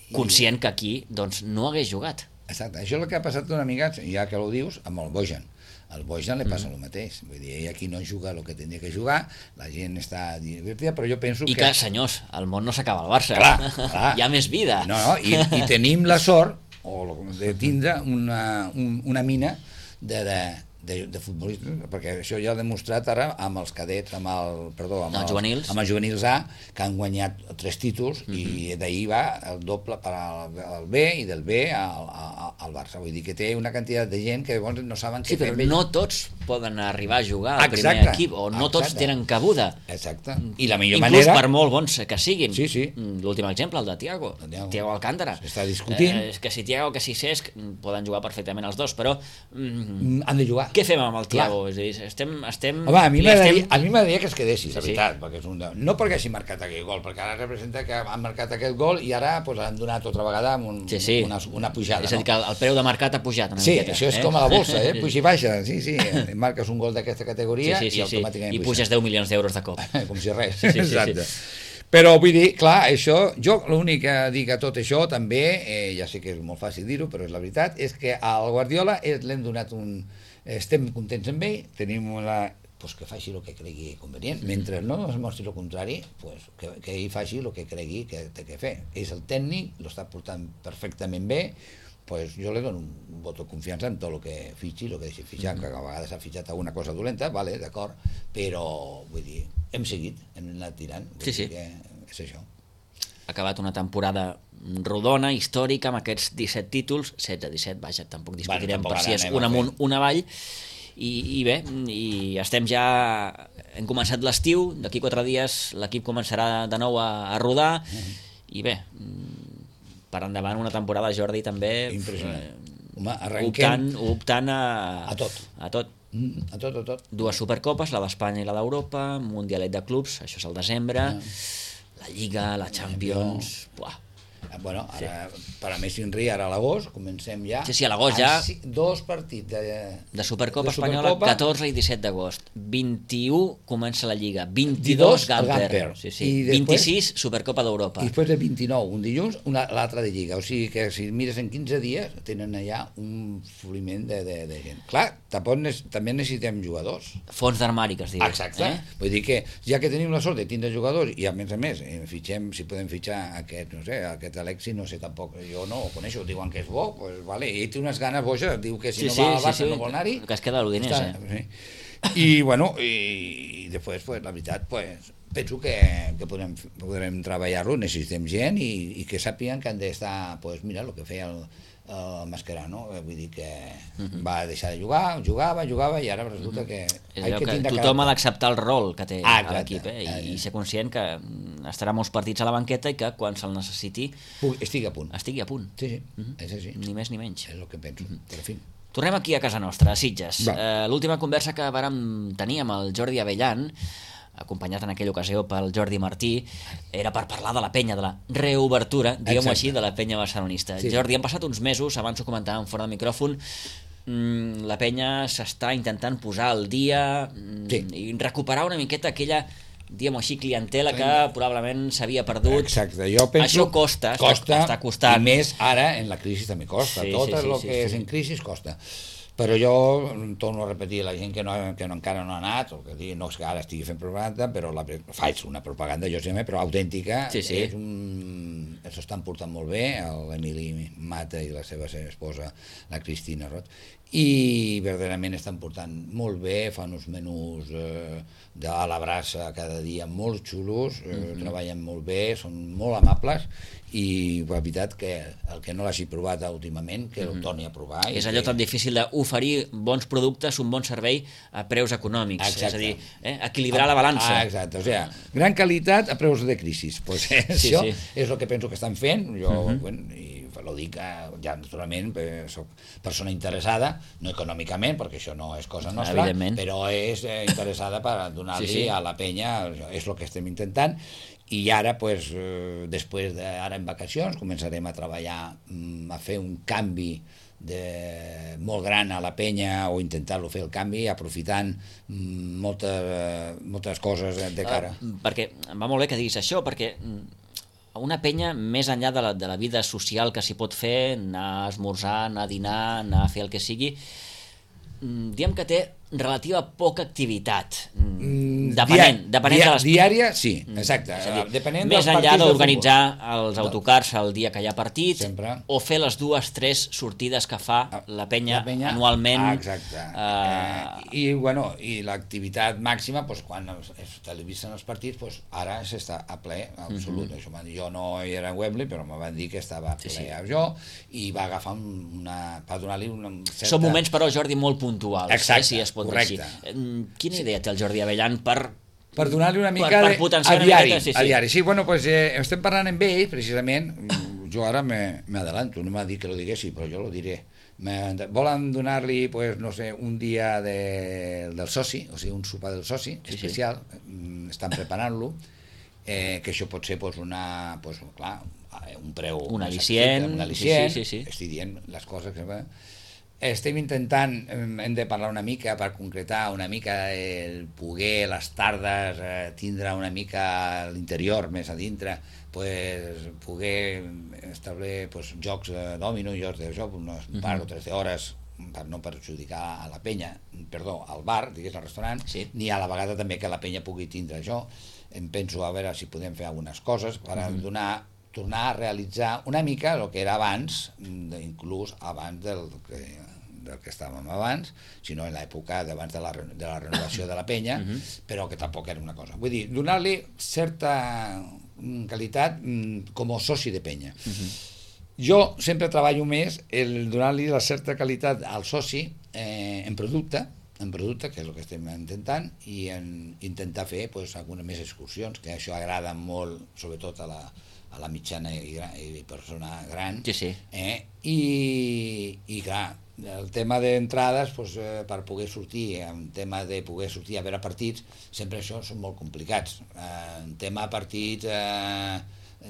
[SPEAKER 2] I... conscient que aquí doncs, no hagués jugat.
[SPEAKER 3] Exacte, això és el que ha passat una mica, ja que ho dius, amb el Bojan. Al Bojan li passa mm. el mateix. Vull dir, ell aquí no juga el que tenia que jugar, la gent està divertida, però jo penso
[SPEAKER 2] I
[SPEAKER 3] que...
[SPEAKER 2] I que, senyors, el món no s'acaba al Barça.
[SPEAKER 3] Clar, clar.
[SPEAKER 2] Hi ha més vida.
[SPEAKER 3] No, no, i, i tenim la sort o de tindre una, un, una mina de, de, de, de futbolistes, perquè això ja ha demostrat ara amb els cadets, amb el, perdó, amb,
[SPEAKER 2] els,
[SPEAKER 3] els
[SPEAKER 2] juvenils.
[SPEAKER 3] amb els juvenils A, que han guanyat tres títols, mm -hmm. i d'ahir va el doble per al, al B i del B al, al, al Barça. Vull dir que té una quantitat de gent que llavors no saben
[SPEAKER 2] sí,
[SPEAKER 3] què
[SPEAKER 2] fer.
[SPEAKER 3] Però
[SPEAKER 2] no tots poden arribar a jugar al
[SPEAKER 3] exacte,
[SPEAKER 2] primer equip, o no
[SPEAKER 3] exacte.
[SPEAKER 2] tots tenen cabuda.
[SPEAKER 3] Exacte. I la millor
[SPEAKER 2] Inclús
[SPEAKER 3] manera...
[SPEAKER 2] per molt bons que siguin.
[SPEAKER 3] Sí, sí.
[SPEAKER 2] L'últim exemple, el de Thiago.
[SPEAKER 3] Thiago,
[SPEAKER 2] Thiago Alcántara.
[SPEAKER 3] S'està discutint.
[SPEAKER 2] Eh, que si Thiago, que si Cesc, poden jugar perfectament els dos, però...
[SPEAKER 3] Mm, han de jugar.
[SPEAKER 2] Què fem amb el Thiago? És a dir, estem... estem
[SPEAKER 3] Home, a mi m'agradaria
[SPEAKER 2] estem...
[SPEAKER 3] estem... que es quedessis,
[SPEAKER 2] sí,
[SPEAKER 3] la veritat, sí. perquè és un de... no perquè hagi marcat aquell gol, perquè ara representa que han marcat aquest gol i ara pues, han donat otra vegada amb un,
[SPEAKER 2] sí, sí.
[SPEAKER 3] una, una pujada.
[SPEAKER 2] És a dir, que el, el preu de mercat ha pujat una
[SPEAKER 3] sí,
[SPEAKER 2] miqueta.
[SPEAKER 3] això és
[SPEAKER 2] eh?
[SPEAKER 3] com a la bolsa, eh? puja i baixa, sí, sí, marques un gol d'aquesta categoria
[SPEAKER 2] sí, sí, sí,
[SPEAKER 3] i automàticament
[SPEAKER 2] sí. I puges deu milions d'euros de cop.
[SPEAKER 3] Com si res,
[SPEAKER 2] sí, sí,
[SPEAKER 3] exacte.
[SPEAKER 2] Sí, sí.
[SPEAKER 3] Però vull dir, clar, això, jo l'únic que dic a tot això també, eh, ja sé que és molt fàcil dir-ho, però és la veritat, és que al Guardiola l'hem donat un... estem contents amb ell, tenim una... pues que faci el que cregui convenient, mm-hmm. mentre no es mostri el contrari, pues que, que ell faci el que cregui que té que fer. És el tècnic, l'està portant perfectament bé, pues jo li dono un vot de confiança en tot el que fitxi, el que deixi fitxar, mm-hmm. que a vegades ha fitxat alguna cosa dolenta, vale, d'acord, però vull dir, hem seguit, hem anat tirant, vull
[SPEAKER 2] sí, sí.
[SPEAKER 3] dir que és això.
[SPEAKER 2] Ha acabat una temporada rodona, històrica, amb aquests disset títols, setze disset, vaja, tampoc discutirem
[SPEAKER 3] bueno,
[SPEAKER 2] per si és un amunt, un avall, i, i bé, i estem ja, hem començat l'estiu, d'aquí quatre dies l'equip començarà de nou a, a rodar, mm-hmm. i bé, per endavant una temporada, Jordi, també
[SPEAKER 3] impressionant.
[SPEAKER 2] Eh,
[SPEAKER 3] Home, arrenquem
[SPEAKER 2] optant, optant a,
[SPEAKER 3] a tot.
[SPEAKER 2] A tot.
[SPEAKER 3] Mm, a tot, a tot.
[SPEAKER 2] Dues supercopes, la d'Espanya i la d'Europa, Mundialet de clubs, això és el desembre, mm. la Lliga, la Champions... Buah.
[SPEAKER 3] Bueno, ara,
[SPEAKER 2] sí.
[SPEAKER 3] per a Messi Henry, ara a l'agost, comencem ja...
[SPEAKER 2] Sí, sí, a l'agost ja...
[SPEAKER 3] Dos partits de...
[SPEAKER 2] De Supercopa
[SPEAKER 3] de
[SPEAKER 2] Espanyola,
[SPEAKER 3] Supercopa.
[SPEAKER 2] catorze i disset d'agost. vint-i-u comença la Lliga, vint-i-dos Gamper, Gamper. Sí, sí.
[SPEAKER 3] I després,
[SPEAKER 2] vint-i-sis Supercopa d'Europa.
[SPEAKER 3] I després de vint-i-nou, un dilluns, l'altra de Lliga. O sigui que si mires en quinze dies, tenen allà un floriment de, de, de gent. Clar, també necessitem jugadors.
[SPEAKER 2] Fons d'armari, que es diu.
[SPEAKER 3] Exacte. Eh? Vull dir que, ja que tenim la sort de tindre jugadors, i a més a més, fitxem, si podem fitxar aquest, no sé, aquest Alexi, no sé tampoc, jo no ho coneixo, diuen que és bo, pues vale, ell té unes ganes boges, diu que si
[SPEAKER 2] sí,
[SPEAKER 3] no
[SPEAKER 2] sí,
[SPEAKER 3] va al Barça
[SPEAKER 2] sí, sí.
[SPEAKER 3] no vol anar-hi.
[SPEAKER 2] Que es queda a l'Udinese.
[SPEAKER 3] Sí. I bueno, i, i després, pues, la veritat, pues, penso que, que podrem, podrem treballar-lo, necessitem gent i, i que sàpiguen que han d'estar, pues, mira, el que feia el, uh, Mascherano, vull dir que uh-huh. va deixar de jugar, jugava, jugava i ara resulta uh-huh. que...
[SPEAKER 2] És allò que, que tothom ha d'acceptar el rol que té ah, a l'equip eh? I, i ser conscient que estarà molts partits a la banqueta i que quan se'l necessiti
[SPEAKER 3] estigui a punt.
[SPEAKER 2] Estigui a punt.
[SPEAKER 3] Sí, sí, uh-huh. és així.
[SPEAKER 2] Ni més ni menys.
[SPEAKER 3] És el que penso, uh-huh. però en fi.
[SPEAKER 2] Tornem aquí a casa nostra, a Sitges. Eh, l'última conversa que vàrem tenir amb el Jordi Abellan, acompanyat en aquella ocasió pel Jordi Martí, era per parlar de la penya, de la reobertura, diguem-ho així, de la penya barcelonista. Sí. Jordi, han passat uns mesos, abans ho comentàvem fora del micròfon, mm, la penya s'està intentant posar al dia mm, sí. i recuperar una miqueta aquella, diguem-ho així, clientela que probablement s'havia perdut.
[SPEAKER 3] Exacte, jo penso...
[SPEAKER 2] Això costa,
[SPEAKER 3] costa
[SPEAKER 2] està costant.
[SPEAKER 3] I més ara, en la crisi també costa.
[SPEAKER 2] Sí,
[SPEAKER 3] Tot
[SPEAKER 2] sí, sí,
[SPEAKER 3] el
[SPEAKER 2] sí,
[SPEAKER 3] que
[SPEAKER 2] sí,
[SPEAKER 3] és
[SPEAKER 2] sí.
[SPEAKER 3] en crisi costa. Però jo torno a repetir, la gent que, no, que no, encara no ha anat, o que digui, no és que ara estigui fent propaganda, però la, faig una propaganda, jo sempre, però autèntica,
[SPEAKER 2] sí, sí.
[SPEAKER 3] és un... s'ho estan portant molt bé, l'Emili Mata i la seva esposa, la Cristina Roig, i verdaderament estan portant molt bé, fan uns menús eh, de a la brasa cada dia molt xulos, eh, mm-hmm. treballen molt bé, són molt amables, i la veritat que el que no l'hagi provat últimament, que mm-hmm. el torni a provar.
[SPEAKER 2] És allò
[SPEAKER 3] que...
[SPEAKER 2] tan difícil d'oferir bons productes, un bon servei a preus econòmics, exacte. És a dir, eh, equilibrar la balança.
[SPEAKER 3] Ah, exacte, o sigui, gran qualitat a preus de crisi. Pues, eh,
[SPEAKER 2] sí,
[SPEAKER 3] això
[SPEAKER 2] sí.
[SPEAKER 3] és el que penso que estan fent, jo, mm-hmm. bueno, i lo dic, ja naturalment, soc persona interessada, no econòmicament, perquè això no és cosa nostra, però és eh, interessada per donar-li sí, sí. a la penya, és el que estem intentant, i ara, pues, eh, després de, ara en vacacions, començarem a treballar, a fer un canvi de, molt gran a la penya, o intentar-lo fer el canvi, aprofitant moltes, moltes coses de cara.
[SPEAKER 2] Uh, perquè va molt bé que diguis això, perquè una penya, més enllà de la, de la vida social que s'hi pot fer, anar a esmorzar, anar a dinar, anar a fer el que sigui, diguem que té relativa poca activitat, depenent, depenent
[SPEAKER 3] dia,
[SPEAKER 2] de les...
[SPEAKER 3] Diària, sí, exacte.
[SPEAKER 2] Dir,
[SPEAKER 3] depenent
[SPEAKER 2] més
[SPEAKER 3] dels
[SPEAKER 2] enllà d'organitzar
[SPEAKER 3] de
[SPEAKER 2] els autocars el dia que hi ha partit,
[SPEAKER 3] sempre. O
[SPEAKER 2] fer les dues, tres sortides que fa la penya,
[SPEAKER 3] la penya
[SPEAKER 2] anualment.
[SPEAKER 3] Ah, exacte. Uh... Eh, I, bueno, i l'activitat màxima, pues, quan es, es televisen els partits, pues, ara s'està a ple, absolut. Mm-hmm. Això, jo no era a Wembley, però me van dir que estava a ple sí, sí. jo, i va agafar una... per donar-li una certa...
[SPEAKER 2] Són moments, però, Jordi, molt puntuals.
[SPEAKER 3] Exacte,
[SPEAKER 2] eh, si es pot
[SPEAKER 3] correcte.
[SPEAKER 2] Dir. Quina idea té el Jordi Abellan per...
[SPEAKER 3] per donar-li una mica
[SPEAKER 2] per,
[SPEAKER 3] de...
[SPEAKER 2] per potenciar
[SPEAKER 3] a diari,
[SPEAKER 2] una miqueta, sí, sí.
[SPEAKER 3] a diari. Sí, bueno, pues, eh, estem parlant amb ell, precisament, jo ara me, me adelanto, no m'ha dit que lo diguessi, però jo lo diré. Me, volen donar-li, pues, no sé, un dia de, del soci, o sigui, un sopar del soci, sí, especial, sí. Estan preparant-lo, eh, que això pot ser, pues, una, pues, clar, un preu...
[SPEAKER 2] Un al·licient.
[SPEAKER 3] Un al·licient,
[SPEAKER 2] sí, sí, sí.
[SPEAKER 3] estic dient les coses que... Estem intentant, hem de parlar una mica per concretar una mica el poder, les tardes, eh, tindre una mica a l'interior, més a dintre, pues, poder establir pues, jocs de dòmino, jocs de joc, unes uh-huh. par o tres hores, per no perjudicar a la penya, perdó, al bar, digués, al restaurant, sí. ni a la vegada també que la penya pugui tindre això. Em penso a veure si podem fer algunes coses per uh-huh. donar, tornar a realitzar una mica el que era abans, inclús abans del que... del que estàvem abans, sinó en l'època d'abans de, la, de la renovació de la penya, uh-huh. però que tampoc era una cosa. Vull dir, donar-li certa qualitat com a soci de penya. Uh-huh. Jo sempre treballo més el donar-li la certa qualitat al soci eh, en producte, en producte, que és el que estem intentant, i en intentar fer pues, algunes més excursions, que això agrada molt, sobretot a la, a la mitjana i, i persona gran.
[SPEAKER 2] Sí, sí.
[SPEAKER 3] Eh? I, i clar, el tema d'entrades, pues, eh, per poder sortir, en tema de poder sortir a veure partits, sempre això són molt complicats. Eh, en tema de partits eh,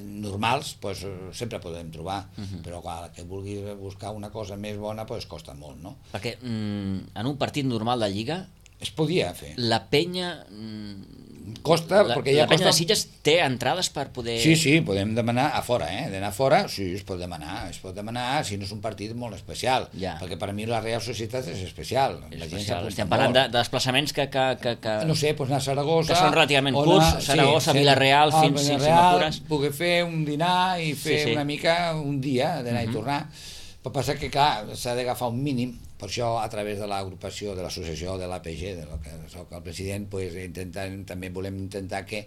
[SPEAKER 3] normals, pues, sempre podem trobar, uh-huh. però clar, que vulguis buscar una cosa més bona, pues, costa molt, no?
[SPEAKER 2] Perquè mm, en un partit normal de Lliga
[SPEAKER 3] es podia fer.
[SPEAKER 2] La penya... Mm,
[SPEAKER 3] costa,
[SPEAKER 2] la,
[SPEAKER 3] perquè ja
[SPEAKER 2] la penya
[SPEAKER 3] costa...
[SPEAKER 2] de Sitges té entrades per poder...
[SPEAKER 3] Sí, sí, podem demanar a fora, eh? D'anar a fora, sí, es pot demanar, es pot demanar si no és un partit molt especial,
[SPEAKER 2] ja. perquè
[SPEAKER 3] per mi la Real Societat és especial.
[SPEAKER 2] És
[SPEAKER 3] la
[SPEAKER 2] especial. Estem parlant de, de desplaçaments que, que, que, que...
[SPEAKER 3] No sé, doncs anar a Saragossa...
[SPEAKER 2] Que són relativament curts, anar, Saragossa, sí, Vila-real,
[SPEAKER 3] sí,
[SPEAKER 2] fins
[SPEAKER 3] a
[SPEAKER 2] si m'apures.
[SPEAKER 3] Poder fer un dinar i fer sí, sí. una mica un dia d'anar uh-huh. i tornar. Però passa que, clar, s'ha d'agafar un mínim, per això a través de l'agrupació, de l'associació de l'A P G, de lo que soc el president, pues, intentant, també volem intentar que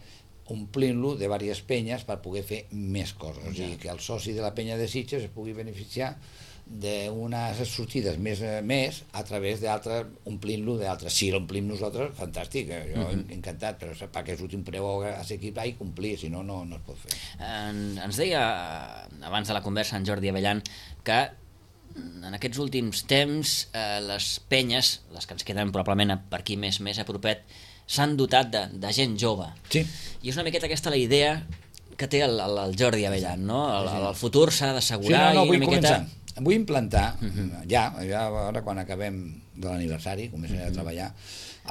[SPEAKER 3] omplint-lo de diverses penyes per poder fer més coses. Ja. O sigui, que el soci de la penya de Sitges es pugui beneficiar d'unes sortides més, més a través d'altres, omplint-lo d'altres. Si l'omplim nosaltres, fantàstic, eh? jo uh-huh. encantat, però perquè surti un preu a l'equip i complir, si no, no, no es pot fer.
[SPEAKER 2] En, ens deia, abans de la conversa, en Jordi Avellan, que en aquests últims temps eh, les penyes, les que ens queden probablement per aquí més, més a propet, s'han dotat de, de gent jove.
[SPEAKER 3] Sí.
[SPEAKER 2] I és una miqueta aquesta la idea que té el, el, el Jordi Avellan, no? El, el, el futur s'ha d'assegurar
[SPEAKER 3] sí, no, no,
[SPEAKER 2] i una miqueta...
[SPEAKER 3] Començar. Vull implantar, uh-huh. ja, ja, ara quan acabem de l'aniversari, començaré uh-huh. a treballar,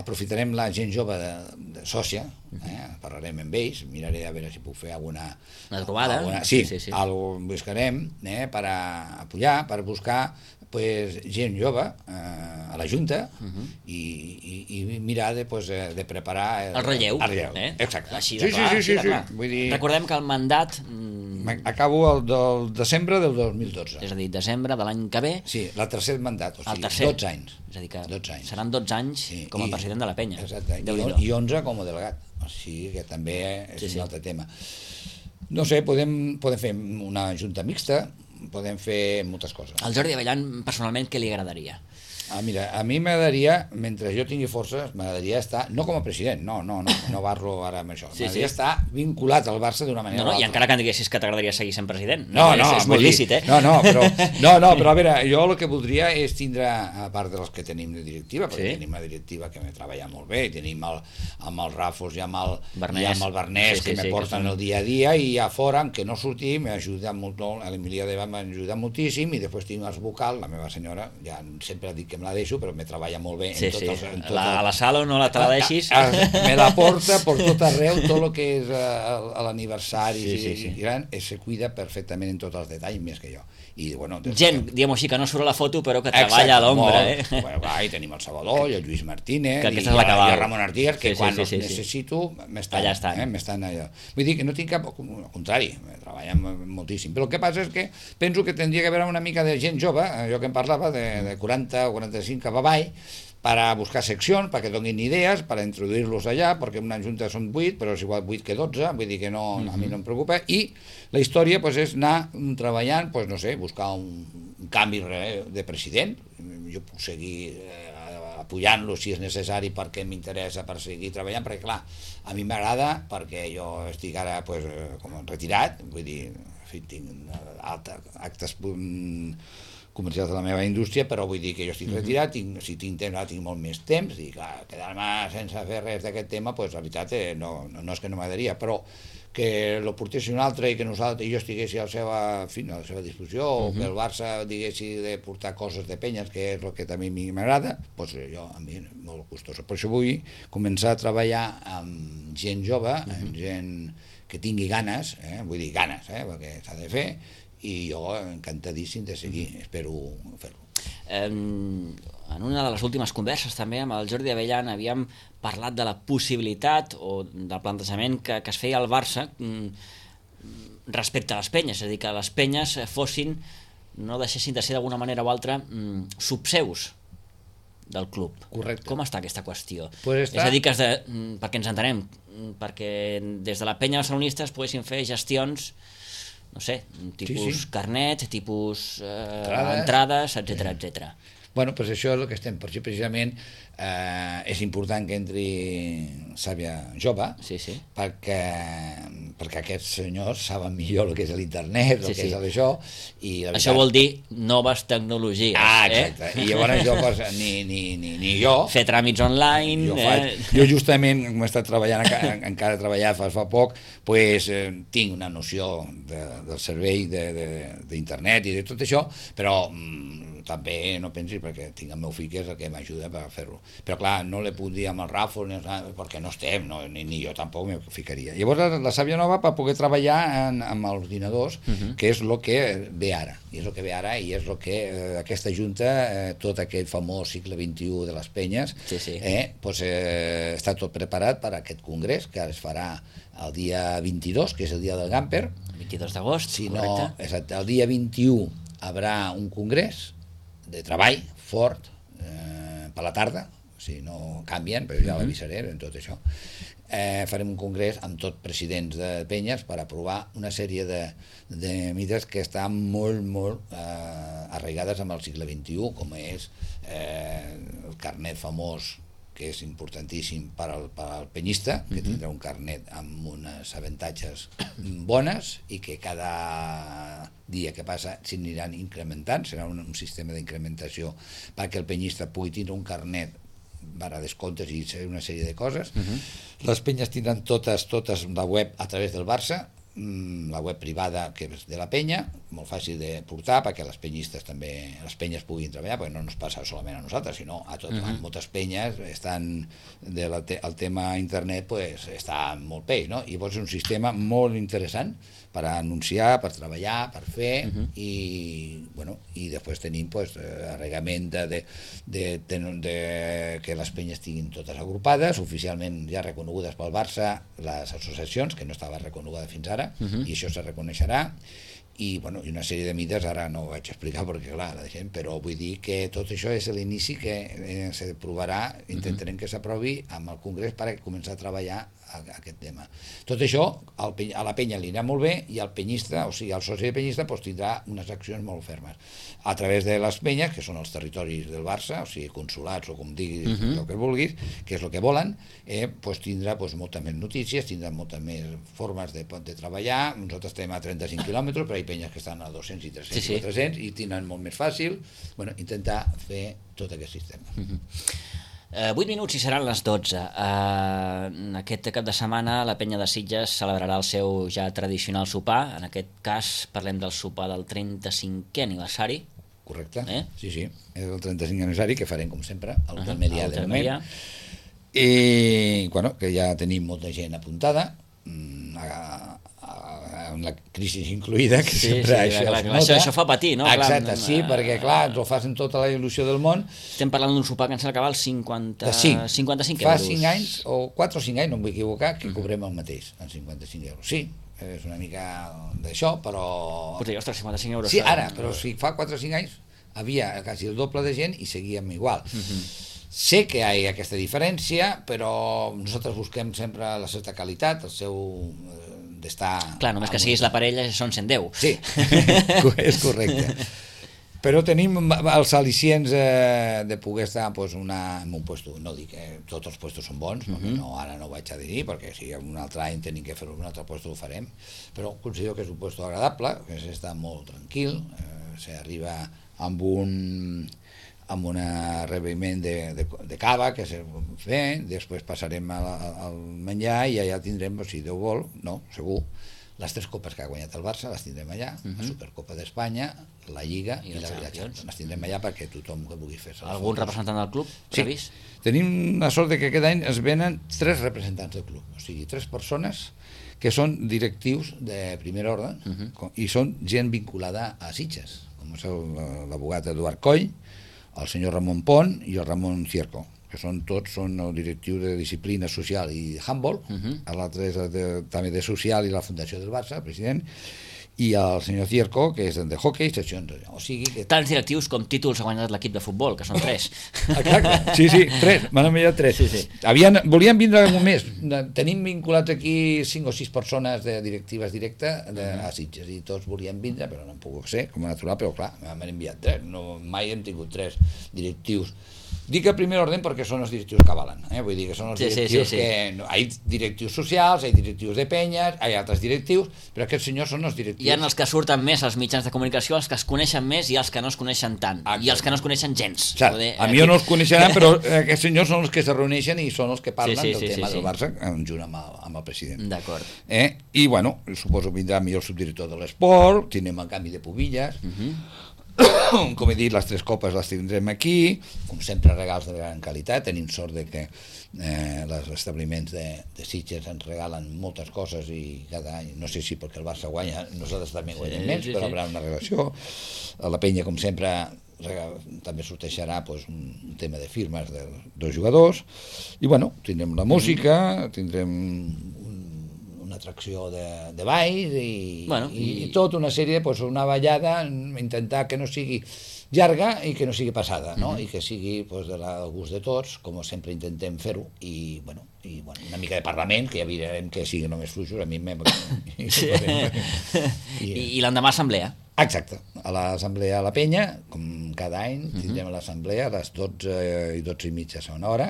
[SPEAKER 3] aprofitarem la gent jove de, de sòcia, eh? Parlarem amb ells, miraré a veure si puc fer alguna...
[SPEAKER 2] Una trobada?
[SPEAKER 3] Alguna, sí,
[SPEAKER 2] sí, sí, sí.
[SPEAKER 3] Algo buscarem eh? per a apoyar, per buscar pues, gent jove eh, a la Junta uh-huh. i, i, i mirar de, pues, de preparar... El,
[SPEAKER 2] el relleu.
[SPEAKER 3] El relleu,
[SPEAKER 2] eh?
[SPEAKER 3] exacte.
[SPEAKER 2] Així de
[SPEAKER 3] sí,
[SPEAKER 2] clar,
[SPEAKER 3] sí, sí,
[SPEAKER 2] així de clar.
[SPEAKER 3] Sí. Vull dir...
[SPEAKER 2] Recordem que el mandat...
[SPEAKER 3] Acabo el del desembre del dos mil dotze.
[SPEAKER 2] És a dir, desembre de l'any que ve...
[SPEAKER 3] Sí, el tercer mandat, o sigui,
[SPEAKER 2] tercer.
[SPEAKER 3] dotze anys.
[SPEAKER 2] És a dir, que
[SPEAKER 3] dotze anys.
[SPEAKER 2] seran dotze anys sí, com a
[SPEAKER 3] i,
[SPEAKER 2] president de la penya.
[SPEAKER 3] Exacte, i, i onze com a delegat. O sigui que també és sí, un sí. altre tema. No sé, podem, podem fer una junta mixta, podem fer moltes coses.
[SPEAKER 2] Al Jordi Avellan, personalment, què li agradaria?
[SPEAKER 3] Ah, mira, a mi m'agradaria, mentre jo tingui forces, m'agradaria estar, no com a president, no, no, no, no barro ara amb això, sí, m'agradaria sí. estar vinculat al Barça d'una manera
[SPEAKER 2] no, no,
[SPEAKER 3] o altra.
[SPEAKER 2] I encara que em diguessis que t'agradaria seguir sent president.
[SPEAKER 3] No, no,
[SPEAKER 2] és, és molt lícit, eh?
[SPEAKER 3] No, no, però, no, no, però a veure, jo el que voldria és tindre, a part dels que tenim de directiva, perquè sí? tenim una directiva que me treballa molt bé, tenim el, amb el Rafos i amb el Bernès, i amb el Bernès sí, sí, que me sí, porten que el dia a dia, i a fora, que no sortim, m'ajuda molt, l'Emilia Deva m'ajuda moltíssim, i després tinc els vocals, la meva senyora, ja sempre dic que me la deixo, però me treballa molt bé
[SPEAKER 2] sí,
[SPEAKER 3] en tot
[SPEAKER 2] sí.
[SPEAKER 3] els, en tot
[SPEAKER 2] la,
[SPEAKER 3] el...
[SPEAKER 2] a la sala no la te la deixis
[SPEAKER 3] a, a, me la porta per tot arreu, tot el que és uh, l'aniversari sí, sí, sí. i gran, se cuida perfectament en tots els detalls, més que jo. I, bueno,
[SPEAKER 2] gent, que... diguem-ho així, que no surt a la foto però que treballa a l'ombra, eh?
[SPEAKER 3] Bueno, va, i tenim el Salvador i el Lluís Martínez i,
[SPEAKER 2] és la
[SPEAKER 3] i el Ramon Artigas, que sí, quan sí, sí,
[SPEAKER 2] els
[SPEAKER 3] sí, necessito m'estan
[SPEAKER 2] allà estan.
[SPEAKER 3] Eh, m'estan allà. Vull dir que no tinc cap... Al contrari, treballem moltíssim. Però el que passa és que penso que tindria que haver una mica de gent jove, jo que em parlava, de, de quaranta o quaranta-cinc cap avall, per a buscar seccions, perquè donin idees, per a introduir-los allà, perquè una junta són vuit, però és igual vuit que dotze, vull dir que no, uh-huh. a mi no em preocupa, i la història pues, és anar treballant, pues, no sé, buscar un, un canvi de president, jo puc seguir eh, apoyant-lo si és necessari perquè m'interessa per seguir treballant, perquè clar, a mi m'agrada, perquè jo estic ara pues, com retirat, vull dir, en fi, tinc alta, actes... comercials de la meva indústria, però vull dir que jo estic retirat, tinc, si tinc temps, ara tinc molt més temps, i clar, quedar-me sense fer res d'aquest tema, pues, la veritat eh, no, no, no és que no m'agradaria, però que lo portés un altre i que nosaltres i jo estiguessi a la seva, en fi, a la seva disposició, uh-huh. o que el Barça diguessi de portar coses de penyes, que és el que també a mi m'agrada, pues, jo, a mi, molt gustoso. Per això vull començar a treballar amb gent jove, uh-huh. amb gent que tingui ganes, eh? vull dir ganes, eh? perquè s'ha de fer, i jo encantadíssim de seguir, espero fer-lo.
[SPEAKER 2] En una de les últimes converses també amb el Jordi Avellan havíem parlat de la possibilitat o del plantejament que, que es feia al Barça respecte a les penyes, és a dir, que les penyes fossin, no deixessin de ser d'alguna manera o altra subseus del club.
[SPEAKER 3] Correcte.
[SPEAKER 2] Com està aquesta qüestió?
[SPEAKER 3] Pues està...
[SPEAKER 2] És a dir, que es de, perquè ens entenem, perquè des de la penya barcelonista es poguessin fer gestions no sé, tipus sí, sí. carnet, tipus eh, entrades, entrades etcètera, sí. etcètera.
[SPEAKER 3] Bueno, doncs això és el que estem, per això precisament eh, és important que entri Sàvia jove,
[SPEAKER 2] sí, sí.
[SPEAKER 3] perquè, perquè aquests senyors saben millor el que és l'internet, el sí, que sí. és això. I la veritat...
[SPEAKER 2] Això vol dir noves tecnologies.
[SPEAKER 3] Ah, exacte. Eh? I llavors jo, pues, ni, ni, ni, ni jo...
[SPEAKER 2] Fer tràmits online...
[SPEAKER 3] Jo, faig, eh? jo justament, com he estat treballant, encara, encara he treballat fa, fa poc, pues, eh, tinc una noció de, del servei d'internet de, de, i de tot això, però... Mm, també no pensis perquè tinc el meu fill que és el que m'ajuda per fer-lo, però clar, no le puc dir amb el Ràfol perquè no estem, no, ni, ni jo tampoc m'hi ficaria. Llavors la, la Sàvia Nova per poder treballar en, amb els ordinadors, uh-huh. que és el que ve ara, i és el que ve ara i és el que eh, aquesta junta, eh, tot aquell famós segle vint-i-u de les penyes,
[SPEAKER 2] sí, sí.
[SPEAKER 3] Eh, pues, eh, està tot preparat per a aquest congrés que es farà el dia vint-i-dos, que és el dia del Gamper,
[SPEAKER 2] vint-i-dos d'agost,
[SPEAKER 3] si
[SPEAKER 2] correcte.
[SPEAKER 3] No, exacte, el dia vint-i-u haurà un congrés de treball fort eh, per la tarda, si no canvien, però ja l'avisaré en tot això. Eh, farem un congrés amb tot presidents de penyes per aprovar una sèrie de, de mides que estan molt, molt eh, arraigades amb el segle vint-i-u, com és eh, el carnet famós, que és importantíssim per al, per al penyista, que uh-huh. tindrà un carnet amb unes avantatges bones i que cada dia que passa s'aniran incrementant, serà un, un sistema d'incrementació perquè el penyista pugui tindre un carnet per a descomptes i una sèrie de coses. Uh-huh. Les penyes tindran totes, totes la web a través del Barça, la web privada que és de la penya, molt fàcil de portar perquè les penyistes també, les penyes puguin treballar, perquè no ens passa solament a nosaltres, sinó a tot, uh-huh. moltes penyes estan de la te, el tema internet pues, està molt peix, no? I llavors és un sistema molt interessant per anunciar, per treballar, per fer, uh-huh. i, bueno, i després tenim pues, arregament de, de, de, de, de que les penyes estiguin totes agrupades, oficialment ja reconegudes pel Barça, les associacions, que no estava reconeguda fins ara, uh-huh. i això se reconeixerà, i, bueno, i una sèrie de mides, ara no ho vaig explicar perquè clar, la deixem, però vull dir que tot això és l'inici que eh, s'aprovarà, intentarem que s'aprovi amb el Congrés per començar a treballar a, a aquest tema. Tot això al, a la penya li anirà molt bé i el penyista, o sigui, el soci de penyista pues, tindrà unes accions molt fermes a través de les penyes, que són els territoris del Barça, o sigui, consulats o com diguis, uh-huh. el que vulguis, que és el que volen, eh, pues, tindrà pues, moltes més notícies, tindrà moltes més formes de, de treballar. Nosaltres estem a trenta-cinc quilòmetres, però hi ha penyes que estan a dos-cents i tres-cents sí, sí. i quatre-cents i tenen molt més fàcil. Bueno, intentar fer tot aquest sistema.
[SPEAKER 2] Uh-huh. Uh, vuit minuts i seran les dotze. Uh, aquest cap de setmana la penya de Sitges celebrarà el seu ja tradicional sopar. En aquest cas parlem del sopar del trenta-cinquè aniversari.
[SPEAKER 3] Correcte,
[SPEAKER 2] eh?
[SPEAKER 3] sí, sí. És el trenta-cinquè aniversari que farem, com sempre, al Hotel Melià de moment. I, bueno, que ja tenim molta gent apuntada, a, a, amb la crisi incluïda, que sí, sempre sí, això, clar, clar,
[SPEAKER 2] això, això fa patir, no?
[SPEAKER 3] Exacte,
[SPEAKER 2] clar,
[SPEAKER 3] sí, uh, perquè clar, ens ho facin tota la il·lusió del món.
[SPEAKER 2] Estem parlant d'un sopar que ens acaba als cinquanta, cinquanta-cinc
[SPEAKER 3] Fa
[SPEAKER 2] euros.
[SPEAKER 3] Fa cinc anys, o quatre o cinc anys, no em vull equivocar, que uh-huh. cobrem el mateix, en cinquanta-cinc euros. Sí, és una mica d'això, però...
[SPEAKER 2] Pots dir, ostres, cinquanta-cinc euros.
[SPEAKER 3] Sí, ara, però si fa quatre o cinc anys havia quasi el doble de gent i seguíem igual. Uh-huh. Sé que hi ha aquesta diferència, però nosaltres busquem sempre la certa qualitat, el seu eh, d'estar...
[SPEAKER 2] Clar, només que siguis la parella són cent deu.
[SPEAKER 3] Sí, és correcte. Però tenim els al·licients eh, de poder estar pues, una, en un puesto, no dic que tots els puestos són bons, uh-huh. no, ara no ho vaig a dir, perquè si un altre any tenim que fer un altre puesto ho farem, però considero que és un puesto agradable, que s'està molt tranquil, eh, s'arriba amb un... amb un rebiment de, de, de cava que se fer, després passarem al, al menjar i allà tindrem, si Déu vol, no, segur, les tres copes que ha guanyat el Barça les tindrem allà, uh-huh. la Supercopa d'Espanya, la Lliga i, i la Champions. Les tindrem allà perquè tothom que vulgui fer-se.
[SPEAKER 2] Algun fotos. Representant del club previst?
[SPEAKER 3] Sí, tenim la sort de que aquest any es venen tres representants del club, o sigui, tres persones que són directius de primer ordre uh-huh. i són gent vinculada a Sitges, com és l'abogat Eduard Coll, el senyor Ramon Pont i el Ramon Cierco, que són tots són el directiu de disciplina social i handball, uh-huh. l'altre és de, també de social i la Fundació del Barça, el president, i el senyor Cierco, que és de hockey, seccions, o sigui que...
[SPEAKER 2] Tants directius com títols ha guanyat l'equip de futbol, que són tres.
[SPEAKER 3] Exacte, sí, sí, tres, m'han enviat tres.
[SPEAKER 2] Sí, sí.
[SPEAKER 3] Havien, volien vindre un mes, tenim vinculats aquí cinc o sis persones de directives directes de, a Sitges, i tots volien vindre, però no han pogut ser, com a natural, però clar, m'han enviat tres, no, mai hem tingut tres directius. Dic a primer ordre perquè són els directius que avalen, eh? Vull dir que són els
[SPEAKER 2] sí,
[SPEAKER 3] directius
[SPEAKER 2] sí, sí, sí.
[SPEAKER 3] que... No, hi ha directius socials, hi ha directius de penyes, hi ha altres directius, però aquests senyors són els directius...
[SPEAKER 2] Hi ha els que surten més als mitjans de comunicació, els que es coneixen més i els que no es coneixen tant, Exacte. I els que no es coneixen gens.
[SPEAKER 3] Poder, a mi aquí... no els coneixeran, però aquests senyors són els que se reuneixen i són els que parlen sí, sí, del sí, tema sí, sí. del Barça, junt amb el, amb el president.
[SPEAKER 2] D'acord.
[SPEAKER 3] Eh? I, bueno, suposo que vindrà millor el subdirector de l'esport, tindrem el canvi de pubilles... Uh-huh. Com he dit, les tres copes les tindrem aquí, com sempre regals de gran qualitat, tenim sort de que eh, els establiments de, de Sitges ens regalen moltes coses i cada any, no sé si perquè el Barça guanya, nosaltres també guanyem sí, menys, sí, però sí. Haurà una relació. A la penya, com sempre, també sortejarà pues, un tema de firmes de dos jugadors, i bueno, tindrem la música, tindrem una atracció de, de balls i,
[SPEAKER 2] bueno,
[SPEAKER 3] i,
[SPEAKER 2] i...
[SPEAKER 3] i tot una sèrie, pues, una ballada, intentar que no sigui llarga i que no sigui passada, no? Mm-hmm. I que sigui pues, de la gust de tots, com sempre intentem fer-ho, i, bueno, i bueno, una mica de parlament, que ja mirarem que sigui només fluixos, a mi m'he...
[SPEAKER 2] Sí. I, I l'endemà assemblea.
[SPEAKER 3] Exacte, a l'assemblea a la Penya, com cada any, tindrem uh-huh. l'assemblea a les dotze i dotze i mitja segona hora,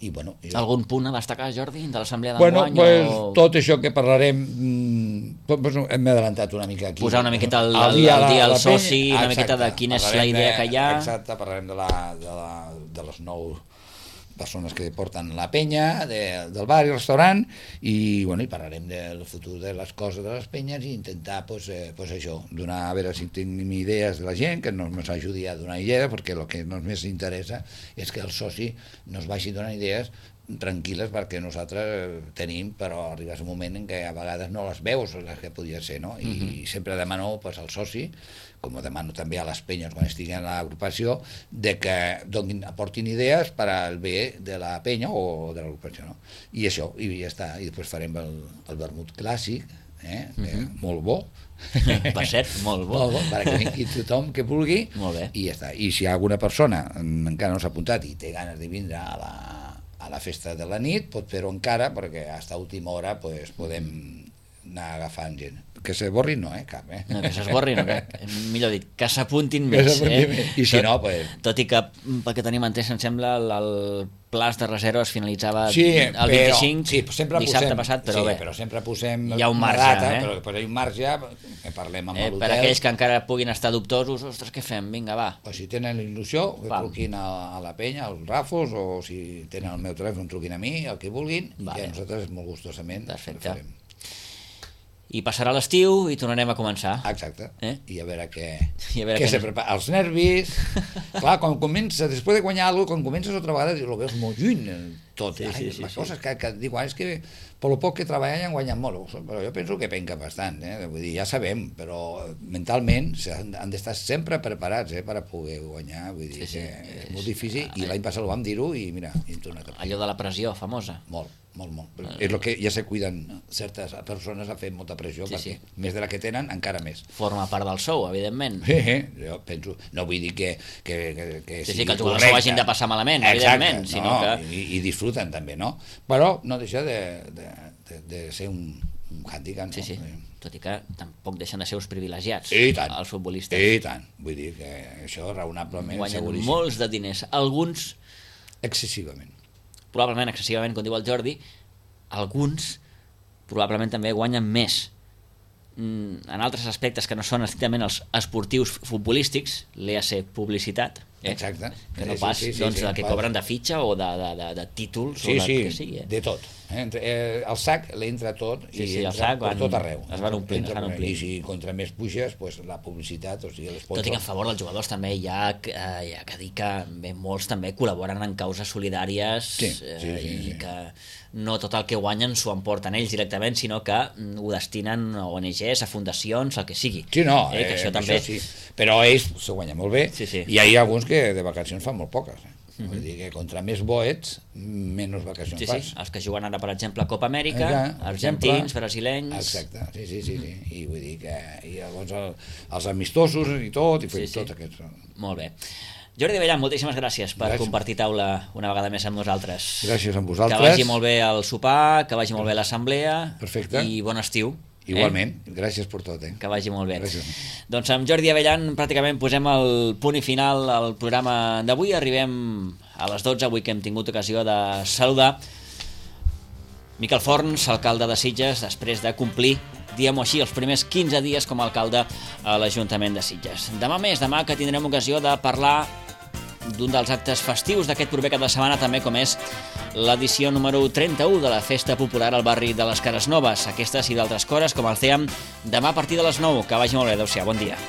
[SPEAKER 3] i bueno... I...
[SPEAKER 2] Algun punt a destacar, Jordi, de l'assemblea
[SPEAKER 3] Bueno,
[SPEAKER 2] d'enguany?
[SPEAKER 3] pues,
[SPEAKER 2] o...
[SPEAKER 3] tot això que parlarem, pues, hem adelantat una mica aquí.
[SPEAKER 2] Posar una miqueta el,
[SPEAKER 3] el,
[SPEAKER 2] el dia, el dia al soci,
[SPEAKER 3] Penya,
[SPEAKER 2] una miqueta de quina és la idea que hi ha.
[SPEAKER 3] Exacte, parlarem de, la, de, la, de les nou persones que porten la penya, de, del bar i restaurant, i, bueno, i parlarem del futur de les coses de les penyes i intentar, pues, eh, pues això, donar, a veure si tenim idees de la gent, que ens ajudi a donar idees, perquè el que ens més interessa és que el soci nos vagi donant idees tranquil·les, perquè nosaltres tenim, però arriba un moment en què a vegades no les veus les que podia ser, no? I uh-huh. sempre demano pues, al soci, com ho demano també a les penyes quan estiguen a l'agrupació, de que donin, aportin idees per al bé de la penya o de l'agrupació, no? I això, i ja està, i després farem el, el vermut clàssic, eh? Uh-huh. eh, molt bo,
[SPEAKER 2] per cert, molt bo,
[SPEAKER 3] molt bo perquè vingui tothom que vulgui, i ja està. I si hi ha alguna persona encara no s'ha apuntat i té ganes de vindre a la a la festa de la nit, pot fer-ho encara, perquè fins a última hora pues, podem anar agafant gent. Que s'esborri no, eh, cap, eh?
[SPEAKER 2] No, que s'esborri no, que, millor dit, que s'apuntin més, eh?
[SPEAKER 3] Més. I si
[SPEAKER 2] tot,
[SPEAKER 3] no, pues...
[SPEAKER 2] Tot i que, pel que tenim entès, em sembla, el, el plaç de reserva es finalitzava
[SPEAKER 3] sí,
[SPEAKER 2] el
[SPEAKER 3] però,
[SPEAKER 2] vint-i-cinc,
[SPEAKER 3] sí, sempre
[SPEAKER 2] dissabte
[SPEAKER 3] posem,
[SPEAKER 2] passat, però
[SPEAKER 3] sí,
[SPEAKER 2] bé.
[SPEAKER 3] però sempre posem
[SPEAKER 2] hi ha un marge,
[SPEAKER 3] data,
[SPEAKER 2] eh?
[SPEAKER 3] Però, però hi ha un marge, que parlem amb
[SPEAKER 2] eh,
[SPEAKER 3] l'hotel.
[SPEAKER 2] Per aquells que encara puguin estar dubtosos, ostres, què fem? Vinga, va.
[SPEAKER 3] O si tenen la il·lusió, que
[SPEAKER 2] Val.
[SPEAKER 3] truquin a, a la penya, als Rafos, o si tenen el meu telèfon, truquin a mi, el que vulguin,
[SPEAKER 2] vale.
[SPEAKER 3] I a nosaltres molt gustosament
[SPEAKER 2] Perfecte.
[SPEAKER 3] ho farem.
[SPEAKER 2] I passarà l'estiu i tornarem a començar.
[SPEAKER 3] Exacte.
[SPEAKER 2] Eh?
[SPEAKER 3] I a veure què,
[SPEAKER 2] I a veure
[SPEAKER 3] què
[SPEAKER 2] què
[SPEAKER 3] se prepara. Els nervis... Clar, quan comença, després de guanyar alguna cosa, quan comences otra vegada, ho veus molt lluny, tot.
[SPEAKER 2] Sí,
[SPEAKER 3] Ai,
[SPEAKER 2] sí, sí,
[SPEAKER 3] les
[SPEAKER 2] sí.
[SPEAKER 3] coses que, que dic, és que per lo poc que treballen han guanyat molt, però jo penso que penca bastant, eh? Vull dir, ja sabem, però mentalment han, han d'estar sempre preparats, eh, per a poder guanyar, vull dir
[SPEAKER 2] sí, sí.
[SPEAKER 3] que és molt difícil, i l'any passat ho vam dir-ho, i mira, hem tornat a...
[SPEAKER 2] Allò de la pressió famosa.
[SPEAKER 3] Molt. Molt, molt. Uh, és el que ja se cuiden certes persones a fer molta pressió, sí, perquè sí. més de la que tenen, encara més.
[SPEAKER 2] Forma part del sou, evidentment.
[SPEAKER 3] Sí, sí, jo penso, no vull dir que, que, que, que
[SPEAKER 2] sí,
[SPEAKER 3] sigui
[SPEAKER 2] sí, que els
[SPEAKER 3] correcte.
[SPEAKER 2] jugadors ho hagin de passar malament,
[SPEAKER 3] exacte,
[SPEAKER 2] evidentment, sinó
[SPEAKER 3] no,
[SPEAKER 2] que...
[SPEAKER 3] I, i disfruten també, no? Però no deixa de, de, de, de ser un, un handicap, no?
[SPEAKER 2] Sí, sí, tot i que tampoc deixen de ser uns privilegiats,
[SPEAKER 3] I tant,
[SPEAKER 2] els futbolistes.
[SPEAKER 3] I tant, vull dir que això raonablement
[SPEAKER 2] guanyen
[SPEAKER 3] seguríssim.
[SPEAKER 2] molts de diners, alguns...
[SPEAKER 3] Excessivament.
[SPEAKER 2] Probablement excessivament, com diu el Jordi, alguns probablement també guanyen més en altres aspectes que no són estrictament els esportius futbolístics, l'E A C publicitat, eh?
[SPEAKER 3] Exacte.
[SPEAKER 2] Que no
[SPEAKER 3] Sí,
[SPEAKER 2] pas
[SPEAKER 3] sí, sí,
[SPEAKER 2] doncs,
[SPEAKER 3] sí,
[SPEAKER 2] de que
[SPEAKER 3] pas.
[SPEAKER 2] cobren de fitxa o de, de, de, de títols
[SPEAKER 3] Sí,
[SPEAKER 2] o de
[SPEAKER 3] sí,
[SPEAKER 2] que sigui. Eh?
[SPEAKER 3] de tot. Eh? Entre, eh, el sac l'entra tot
[SPEAKER 2] Sí,
[SPEAKER 3] i
[SPEAKER 2] sí, el
[SPEAKER 3] entra
[SPEAKER 2] sac
[SPEAKER 3] per
[SPEAKER 2] van-
[SPEAKER 3] tot arreu.
[SPEAKER 2] es van omplint,
[SPEAKER 3] Entra
[SPEAKER 2] es van
[SPEAKER 3] per-
[SPEAKER 2] omplint.
[SPEAKER 3] I si contra més puges, pues, la publicitat, o sigui,
[SPEAKER 2] Tot i que a favor dels jugadors també hi ha, eh, hi ha que dir que bé, molts també col·laboren en causes solidàries
[SPEAKER 3] Sí, sí,
[SPEAKER 2] eh,
[SPEAKER 3] sí,
[SPEAKER 2] i
[SPEAKER 3] sí.
[SPEAKER 2] que no tot el que guanyen s'ho emporten ells directament, sinó que mm, ho destinen a O N Ges, a fundacions, el que sigui.
[SPEAKER 3] Sí, no,
[SPEAKER 2] eh, que
[SPEAKER 3] eh,
[SPEAKER 2] això també...
[SPEAKER 3] això sí. Però ells s'ho guanyen molt bé,
[SPEAKER 2] Sí, sí.
[SPEAKER 3] i hi ha alguns que de vacacions fan molt poques. Eh? Mm-hmm. Vull dir que contra més bo ets, menys vacacions
[SPEAKER 2] Sí,
[SPEAKER 3] fas.
[SPEAKER 2] sí, els que juguen ara, per exemple, a Copa Amèrica,
[SPEAKER 3] Exacte,
[SPEAKER 2] argentins,
[SPEAKER 3] exemple.
[SPEAKER 2] brasilenys...
[SPEAKER 3] Exacte, sí, sí, sí, sí. I vull dir que i llavors el, els amistosos i tot, i
[SPEAKER 2] Sí,
[SPEAKER 3] sí,
[SPEAKER 2] sí.
[SPEAKER 3] tot aquest...
[SPEAKER 2] Molt bé. Jordi Abellan, moltíssimes gràcies per
[SPEAKER 3] Gràcies.
[SPEAKER 2] compartir taula una vegada més amb nosaltres.
[SPEAKER 3] Gràcies a
[SPEAKER 2] Que
[SPEAKER 3] vosaltres.
[SPEAKER 2] vagi molt bé el sopar, que vagi molt bé l'assemblea.
[SPEAKER 3] Perfecte.
[SPEAKER 2] I bon estiu.
[SPEAKER 3] Igualment, eh? Gràcies per tot. Eh?
[SPEAKER 2] Que vagi molt bé.
[SPEAKER 3] Gràcies.
[SPEAKER 2] Doncs amb Jordi Abellan pràcticament posem el punt i final al programa d'avui. Arribem a les dotze, avui que hem tingut ocasió de saludar Miquel Forns, alcalde de Sitges, després de complir, diguem-ho així, els primers quinze dies com a alcalde a l'Ajuntament de Sitges. Demà més, demà que tindrem ocasió de parlar d'un dels actes festius d'aquest proper cap de setmana, també com és l'edició número trenta-u de la Festa Popular al barri de les Cases Noves. Aquestes i d'altres coses, com el C E A M, demà a partir de les nou. Que vagi molt bé, adéu-siau, bon dia.